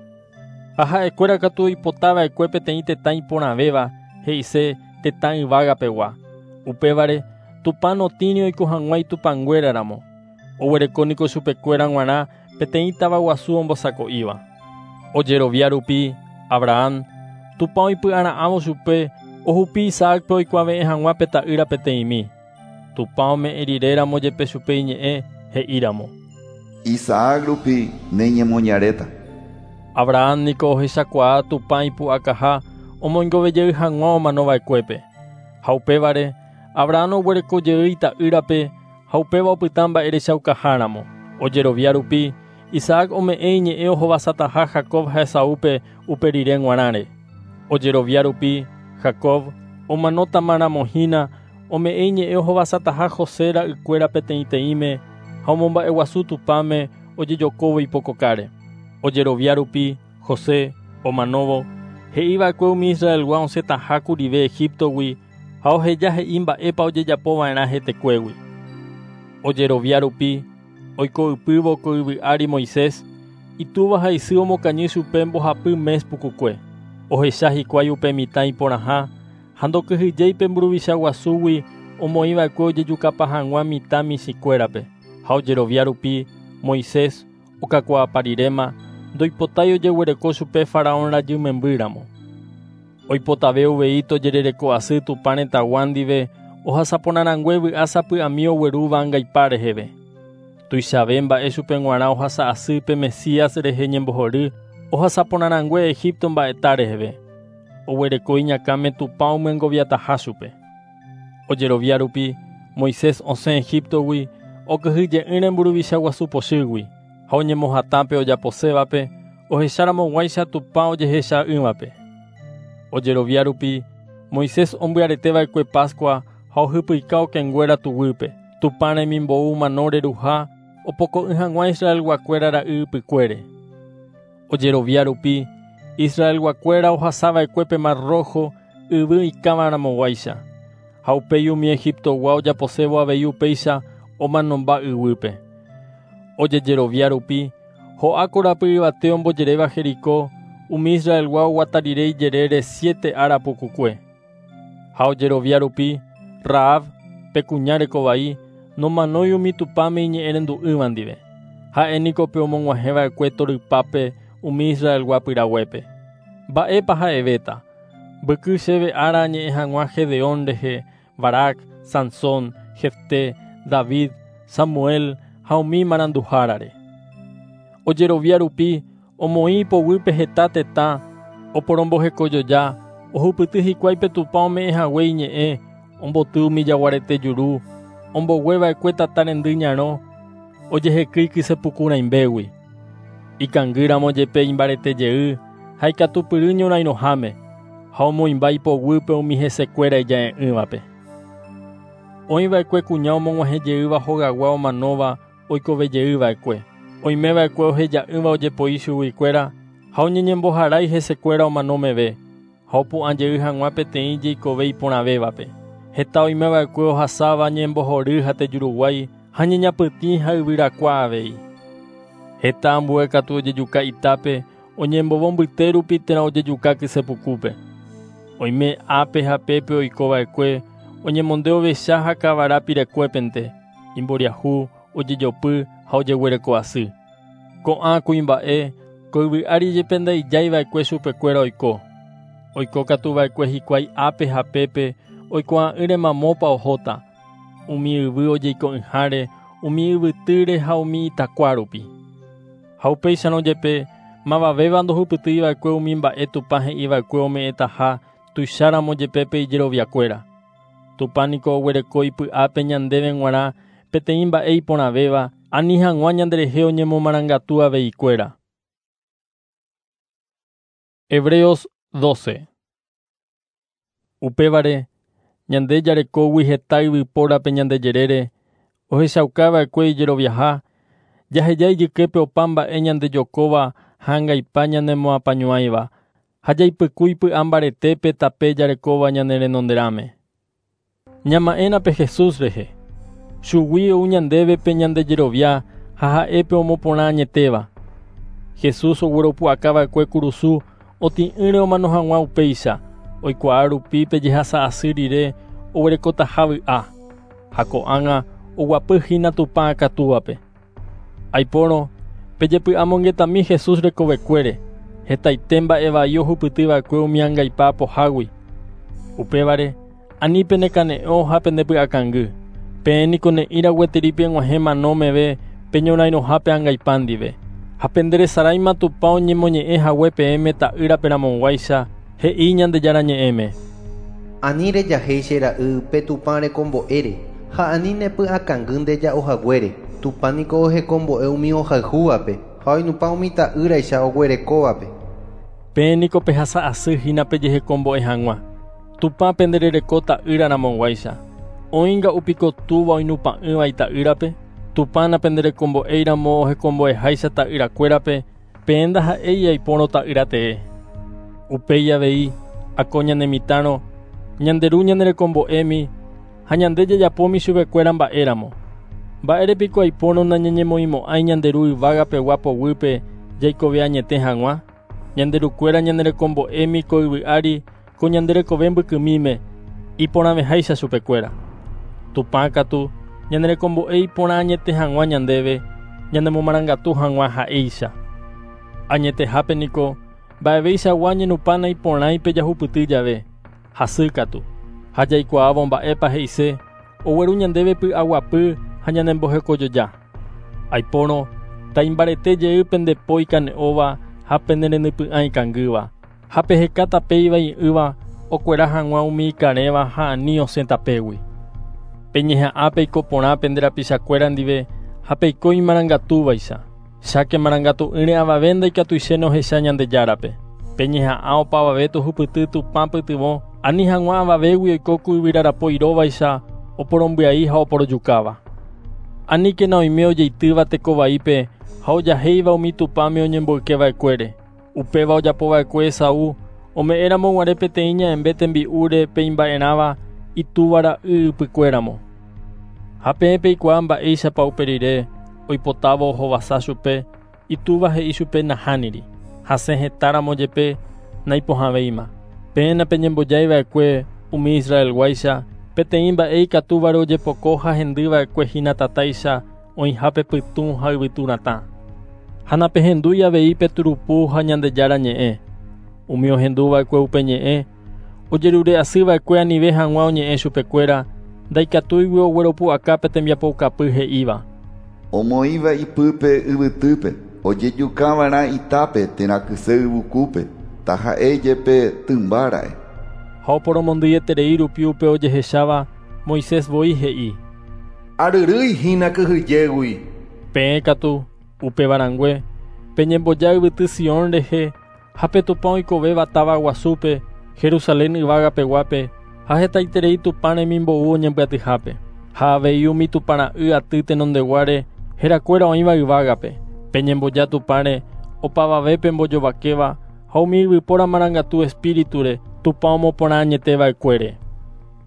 Ha ha'ekuéra katu oipotava'ekue peteĩ tetã iporãvéva he'ise tetã yvágapegua. Upévare Tupã notĩri oiko hag̃ua itupãnguéraramo. Oguereko niko chupekuéra g̃uarã peteĩ táva guasu ombosako'íva. Ojerovia rupi Abraham Tupã oipy'ara'ãvo chupe ohupi Isaacpe oikuave'ẽ hag̃ua pe ta'ýra peteĩmi. Tupã ome'ẽ riréramo jepe chupe iñe'ẽ he'íramo: Isaac rupi neñemoñaréta. Abraham niko ohechakuaa Tupã ipu'akaha omoingovejey hag̃ua omanova'ekuépe. Ha upévare Abraham oguereko jey ita'ýrape ha upéva opyta mba'erechaukaháramo. Ojerovia rupi Isaac ome'ẽ iñe'ẽ ohovasataha Jacob ha Esaúpe upe rire g̃uarãre. Ojerovia rupi Jacob omanótamaramo hína ome'ẽ iñe'ẽ ohovasataha José ra'ykuéra peteĩteĩme ha omomba'eguasu Tupãme ojejokóvo ipokokáre. Ojerovia rupi José omanóvo he'iva'ekue umi Israelgua osẽtaha kurive Egiptogui ha oheja he'i mba'épa ojejapova'erã hetekuégui. Ojerovia rupi oiko ypývo ko yvy ári Moisés itúva ha isy omokañy chupe mbohapy mes pukukue. Ohecha hikuái upe mitã iporãha ha ndokyhyjéi pe mburuvicha guasúgui omoĩva'ekue ojejukapa hag̃ua mitã michĩkuérape. Ha ojerovia rupi Moisés okakuaapa riréma ndoipotái ojeguereko chupe faraón rajy membýramo. Oipotave uvei tojerereko asy Tupã retãgua ndive ohasaporãrangue vy'a sapy'ami oguerúva angaipa reheve. Tuichave mba'e chupe g̃uarã ohasa asy pe Mesías rehe ñembohory ohasaporãrangue Egipto mba'eta reheve. Oguereko iñakãme Tupã omyengoviataha chupe. Ojerovia rupi Moisés osẽ Egiptogui okyhyje'ỹre mburuvicha guasu pochýgui ha oñemohatãpe ojaposévape ohecharamoguáicha Tupã ojehecha'ỹvape. Ojerovia rupi Moisés ombyareteva'ekue Pascua ha ohypyka okẽnguéra tuguýpe Tupã remimbou mano reruha opoko'ỹ hag̃ua Israelguakuéra ra'y ypykuére. Ojerovia rupi Israelguakuéra ohasava'ekue pe Mar Rojo yvy ikãvaramoguáicha ha upéi umi Egiptogua ojaposévo avei upéicha omanomba yvýpe. Ojejerovia rupi ho'a korapy yvate ombojeréva Jericó umi Israelgua oguata rire ijerére siete ára pukukue. Ha ojerovia rupi Rahab pe kuña rekovai nomanói umi Tupãme iñe'ẽrendu'ỹva ndive. Ha'e niko pe omog̃uahẽva'ekue torypápe umi Israelgua pyraguépe. Mba'épa ha'evéta mbyky chéve ára añe'ẽ hag̃ua Gedeón rehe, Barak, Sansón, Jefté, David, Samuel ha umi maranduhárare. Ojerovia rupi omoĩ ipoguýpe heta tetã oporombohekojoja ohupyty hikuái pe Tupã ome'ẽ hague iñe'ẽ omboty umi jaguarete juru ombogueva'ekue tata rendy ñarõ ojehekýi kysepuku rãimbégui. Ikangýramo jepe imbarete jey ha ikatupyry ñorairõháme ha omoĩmba ipoguýpe umi hesekuéra ija'e'ỹvape. Oĩva'ekue kuña omog̃uahẽjeýva hogagua omanóva oikovejeýva'ekue. Oimeva'ekue oheja'ỹva ojepoi chuguikuéra ha oñeñemboharái hesekuéra omano meve ha opu'ãjey hag̃ua peteĩ jeikove iporãvévape. Heta oimeva'ekue ohasáva ñembohory ha tejuruguái ha ñeñapytĩ ha yvyrakua avei. Heta ambue katu ojejuka itápe oñembovo mbyte rupi térã ojejuka kysepukúpe. Oime ápe ha pépe oikova'ekue oñemonde ovecha ha kavara pirekuépente imboriahu ojejopy ha ojeguereko asy. Ko'ã kuimba'e ko yvy ári jepe ndaijáiva'ekue chupekuéra oiko. Oiko katu va'ekue hikuái ápe ha pépe oikuaa'ỹre mamópa ohóta umi yvy ojeiko'ỹháre umi yvytýre ha umi itakua rupi. Ha upéicharõ jepe mavavéva ndohupytýiva'ekue umi mba'e Tupã he'iva'ekue ome'ẽtaha tuicháramo jepe pe ijeroviakuéra. Tupã niko oguereko ipy'ápe ñandéve g̃uarã peteĩ mba'e iporãvéva ani hag̃ua ñanderehe oñemomarangatu aveikuéra. Hebreos doce. Upévare ñande jarekógui heta yvypórape ñandejerére ohechaukava'ekue ijeroviaha jaheja ijyképe opa mba'e ñandejokóva ha angaipa ñanemoapañuãiva ha jaipykúi py'a mbaretépe tape jarekóva ñane renonderãme. Ñama'ẽna pe Jesús rehe. Chugui ou ñandéve pe ñandejerovia ha ha'épe omoporã añetéva. Jesús ogueropu'akava'ekue kurusu otĩ'ỹre omano hag̃ua upéicha oikuaa rupi pe jehasa asy rire oguerekotaha vy'a ha ko'ág̃a oguapy hína Tupã akatúvape. Aipórõ pejepy'amongetami Jesús rekovekuére hetaite mba'e vai ohupytyva'ekue umi angaipa apohágui. Upévare ani penekane'õ ha pendepy'akangy. Peẽ niko ne'ĩra gueteri peg̃uahẽ mano meve peñorairõhápe angaipa ndive. Ha penderesaráima Tupã oñemoñe'ẽ hague peẽme ta'ýrape ramoguáicha he'i Ñandejára ñe'ẽme. Ani rejahéi che ra'y pe Tupã rekombo'ére ha ani nepy'akangy ndeja'o haguére. Tupã niko ohekombo'e umi ohayhúvape ha oinupã umi ta'ýraicha oguerekóvape. Peẽ niko pehasa asy hína pejehekombo'e hag̃ua. Tupã penderereko ta'ýra ramoguáicha. Oĩnga'u piko túva oinupa'ỹva ita'ýrape? Tupã napenderekombo'éiramo ohekombo'eháicha ta'yrakuérape, peẽ ndaha'éi aipórõ ta'ýra tee. Upéi avei ako ñanemitãrõ, ñande ru ñanerekombo'émi ha ñande jajapómi chupekuéra mba'éramo. Mba'érepiko aipórõ nañañemoĩmo'ãi ñande ru yvágapegua poguýpe jaikove añete hag̃ua? Ñande rukuéra ñanerekombo'émi ko yvy ári ko ñande rekove mbykymíme iporãveháicha chupekuéra. Tupã katu ñanerekombo'e iporã añete hag̃ua ñandéve, ñanemomarangatu hag̃ua ha'éicha. Añetehápe niko mba'eveichagua ñenupã naiporãi pe jahupyty jave, hasýkatu. Ha jaikuaávo mba'épa he'ise, ogueru ñandéve py'aguapy ha ñanembohekojoja. Aipórõ taimbarete jey pende po ikane'õva ha pene renypy'ã ikangýva, ha peheka tape ivai'ỹva okuera hag̃ua umi ikarẽva ha ani osẽ tapégui. Peñeha'ã peiko porã pende rapichakuéra ndive ha peiko imarangatúvaicha. Cháke marangatu'ỹre avave ndaikatuichéne ohecha Ñandejárape. Peñeha'ã opavave tohupyty Tupã pytyvõ ani hag̃ua avavégui oiko ku yvyrarapo iróvaicha oporombyai ha oporojukáva. Aníkena oime ojeitýva tekovaípe ha ojahéiva umi Tupãme oñemboykeva'ekuére. Upéva ojapova'ekue Esaú ome'ẽramo guare peteĩ ña'ẽmbe tembi'úre pe imba'erãva itúva ra'y ypykuéramo. Ha peẽ peikuaa mba'éichapa upe rire oipotávo ohovasa chupe, itúva he'i chupe nahániri. Hasẽ hetáramo jepe naipohãvéima. Peẽ napeñembojaiva'ekue umi Israelguáicha peteĩ mba'e ikatúvare ojepoko ha hendýva'ekue hína tatáicha oĩhápe pytũ ha yvytu ratã. Ha napehendúi avei pe turupu ha Ñandejára ñe'ẽ. Umi ohendúva'ekue upe ñe'ẽ ojerure'asyva'ekue anive hag̃ua oñe'ẽ chupekuéra ndaikatúigui ogueropu'aka pe tembiapoukapy he'íva. Omoĩva ipýpe yvytýpe, ojejukava'erã itápe térã kyse yvukúpe, taha'e jepe tymbára'e. Ha oporomondýieterei rupi upe ojehecháva, Moisés voi he'i: Aryrýi hína kyhyjégui. Peẽ katu upevarãngue peñemboja yvyty Sion rehe ha pe Tupã oikovéva táva guasúpe, Jerusalén yvágapeguápe ha hetaiterei Tupã remimbou oñembyatyhápe. Ha avei umi Tupã ra'y aty tenondeguáre herakuéra oĩva yvágape. Peñemboja Tupãre opavave pembojovakéva ha umi yvypóra marangatu espíriture Tupã omoporã añeteva'ekuére.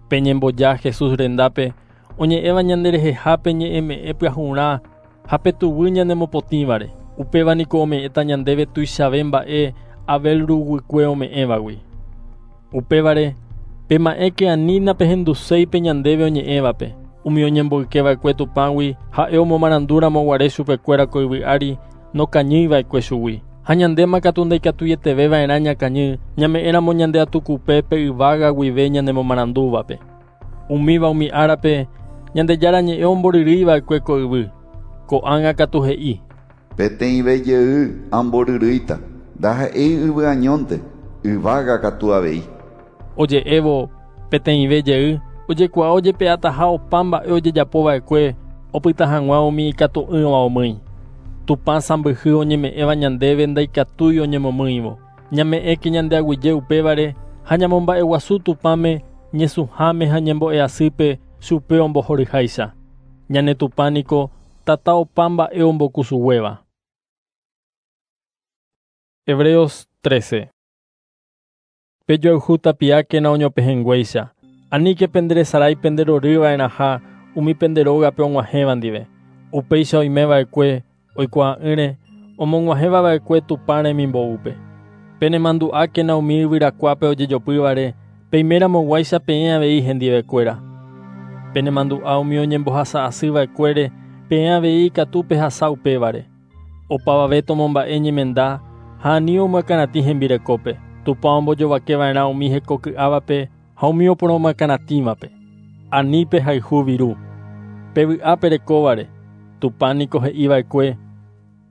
Peñemboja Jesús rendápe oñe'ẽva ñanderehehápe ñe'ẽme'ẽ pyahurã ha pe tuguy ñanemopotĩvare. Upéva niko ome'ẽta ñandéve tuichave mba'e Abel ruguykue ome'ẽvagui. Upévare pema'ẽke ani napehenduséi pe ñandéve oñe'ẽvape. Umi oñemboykeva'ekue Tupãgui ha'e omomarandúramo guare chupekuéra ko yvy ári nokañýiva'ekue chugui. Ha ñandéma katu ndaikatuieteveva'erã ñakañy ñame'ẽramo ñande atukupe pe yvága guive ñanemomarandúvape. Umíva umi árape Ñandejára ñe'ẽ omboryrýiva'ekue ko yvy. Ko'ág̃a katu he'i: Peteĩve jey amboryrýita, ndaha'éi yvy añónte, yvága katu avei. Oje'évo peteĩve jey ojekuaa ojepe'ataha opa mba'e ojejapova'ekue opyta hag̃ua umi ikatu'ỹva omýi. Tupã sãmbyhy oñeme'ẽva ñandéve ndaikatúi oñemomýivo. Ñame'ẽke ñande aguyje upévare ha ñamomba'eguasu Tupãme ñesũháme ha ñembo'e'asýpe chupe ombohoryháicha. Ñane Tupã niko tata opa mba'e ombokusuguéva. Hebreos trece. Pejoayhu tapiákena oñopehẽnguéicha. Aníke penderesarái penderoryva'erãha umi pende rógape og̃uahẽva ndive. Upéicha oimeva'ekue oikuaa'ỹre omog̃uahẽva'ekue Tupã remimboúpe. Penemandu'ákena umi yvyrakuápe ojejopývare peimeramoguáicha peẽ avei hendivekuéra. Penemandu'a umi oñembohasa'asyva'ekuére peẽ avei ikatu pehasa upévare. Opavave tomomba'e ñemenda ha ani omyakãratĩ hembirekópe. Tupã ombojovakeva'erã umi hekoky'ávape ha umi oporomyakãratĩvape. Ani pehayhu viru. Pevy'a perekóvare. Tupã niko he'iva'ekue: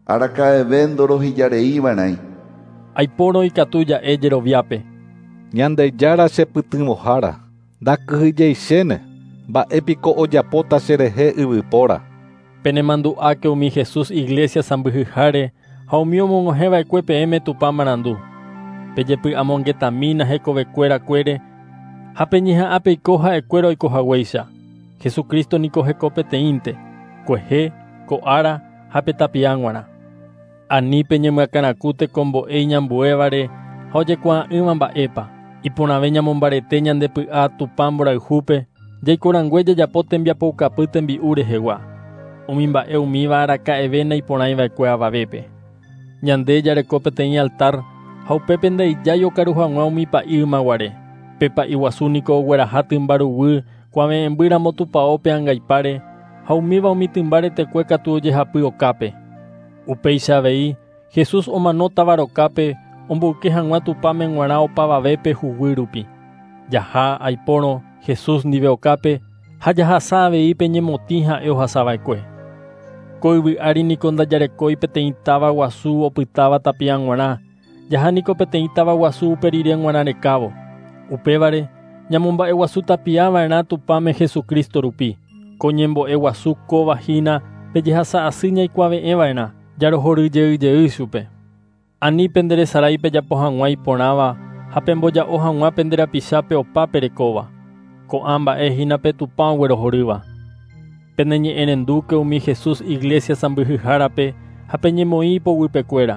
Araka'eve ndorohejareiva'erãi. Aipórõ ikatu ja'e jeroviápe. Ñandejára chepytyvõhára, ndakyhyjeichéne, mba'épiko ojapóta cherehe yvypóra. Penemandu'áke umi Jesús iglesia sãmbyhyháre ha umi omog̃uahẽva'ekue peẽme Tupã marandu. Pejepy'amongetamína hekovekuerakuére ha peñeha'ã peiko ha'ekuéra oikohaguéicha. Jesucristo niko heko peteĩnte, kuehe, ko ára ha pe tapia g̃uarã. Ani peñemyakãraku tekombo'e iñambuévare ha ojekuaa'ỹva mba'épa. Iporãve ñamombarete ñande py'a Tupã mborayhúpe, jaikorangue jajapo tembiapoukapy tembi'u rehegua. Umi mba'e umíva araka'eve naiporãiva'ekue avavépe. Ñande jareko peteĩ altar ha upépe ndaijái okaru hag̃ua umi pa'i ymaguare. Pe pa'i guasu niko ogueraha tymba ruguy kuave'ẽmbýramo tupãópe angaipáre ha umíva umi tymba retekue katu ojehapy okápe. Upéicha avei Jesús omano táva rokápe omboyke hag̃ua Tupãme g̃uarã opavavépe huguy rupi. Jaha aipórõ Jesús ndive okápe ha jahasa avei pe ñemotĩ ha'e ohasava'ekue. Ko yvy ári niko ndajarekói peteĩ táva guasu opytáva tapia g̃uarã, jaha niko peteĩ táva guasu upe rire g̃uarã rekávo. Upévare ñamomba'eguasu tapiava'erã Tupãme Jesucristo rupi. Ko ñembo'e guasu kóva hína pe jehasa asy ñaikuave'ẽva'erã jarohoryjeyjey chupe. Ani penderesarái pejapo hag̃ua iporãva ha pemboja'o hag̃ua pende rapichápe opa perekóva. Ko'ã mba'e hína pe Tupã oguerohorýva. Peneñe'ẽrendúke umi Jesús iglesia sãmbyhyhárape ha peñemoĩ ipoguypekuéra.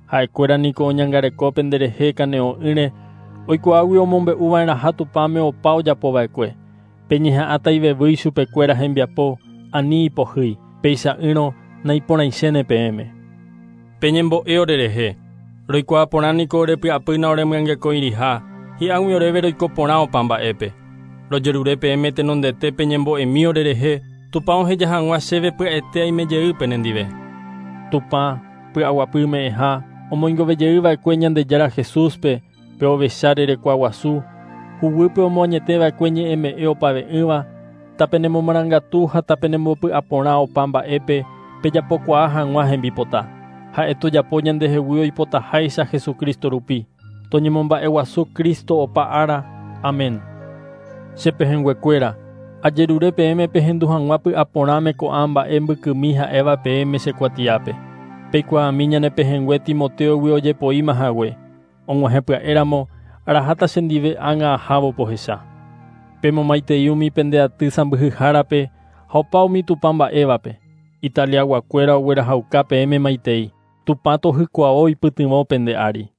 Ha'ekuéra niko oñangareko penderehe kane'õ'ỹre oikuaágui omombe'uva'erãha Tupãme opa ojapova'ekue. Peñeha'ãta ivevýi chupekuéra hembiapo ani ipohýi, péicha'ỹrõ naiporãichéne peẽme. Peñembo'e orerehe. Roikuaa porã niko orepy'apýna oremyangekõiriha, hi'ág̃ui oréve roiko porã opa mba'épe. Rojerure peẽme tenondete peñembo'emi orerehe, Tupã oheja hag̃ua chéve pya'ete aimejey penendive. Tupã py'aguapy me'ẽha omoingovejeyva'ekue Ñandejára Jesúspe pe ovecha rerekua guasu, huguýpe omoañeteva'ekue ñe'ẽme'ẽ opave'ỹva, tapenemomarangatu ha tapenembopy'aporã opa mba'épe pejapokuaa hag̃ua hembipota. Ha'e tojapo ñandehegui oipotaháicha Jesucristo rupi. Toñemomba'eguasu Cristo opa ára. Amén. Che pehẽnguekuéra, ajerure peẽme pehendu hag̃ua py'aporãme ko'ã mba'e mbykymi ha'éva peẽme che kuatiápe. Peikuaami ñane pehẽngue Timoteogui ojepoíma hague. Og̃uahẽ pya'éramo araháta chendive ág̃a ahávo pohecha. Pemomaitei umi pende aty sãmbyhyhárape ha opa umi Tupã mba'évape. Italiaguakuéra oguerahauka peẽme maitei. Tupã tohykuavo ipytyvõ pende ári.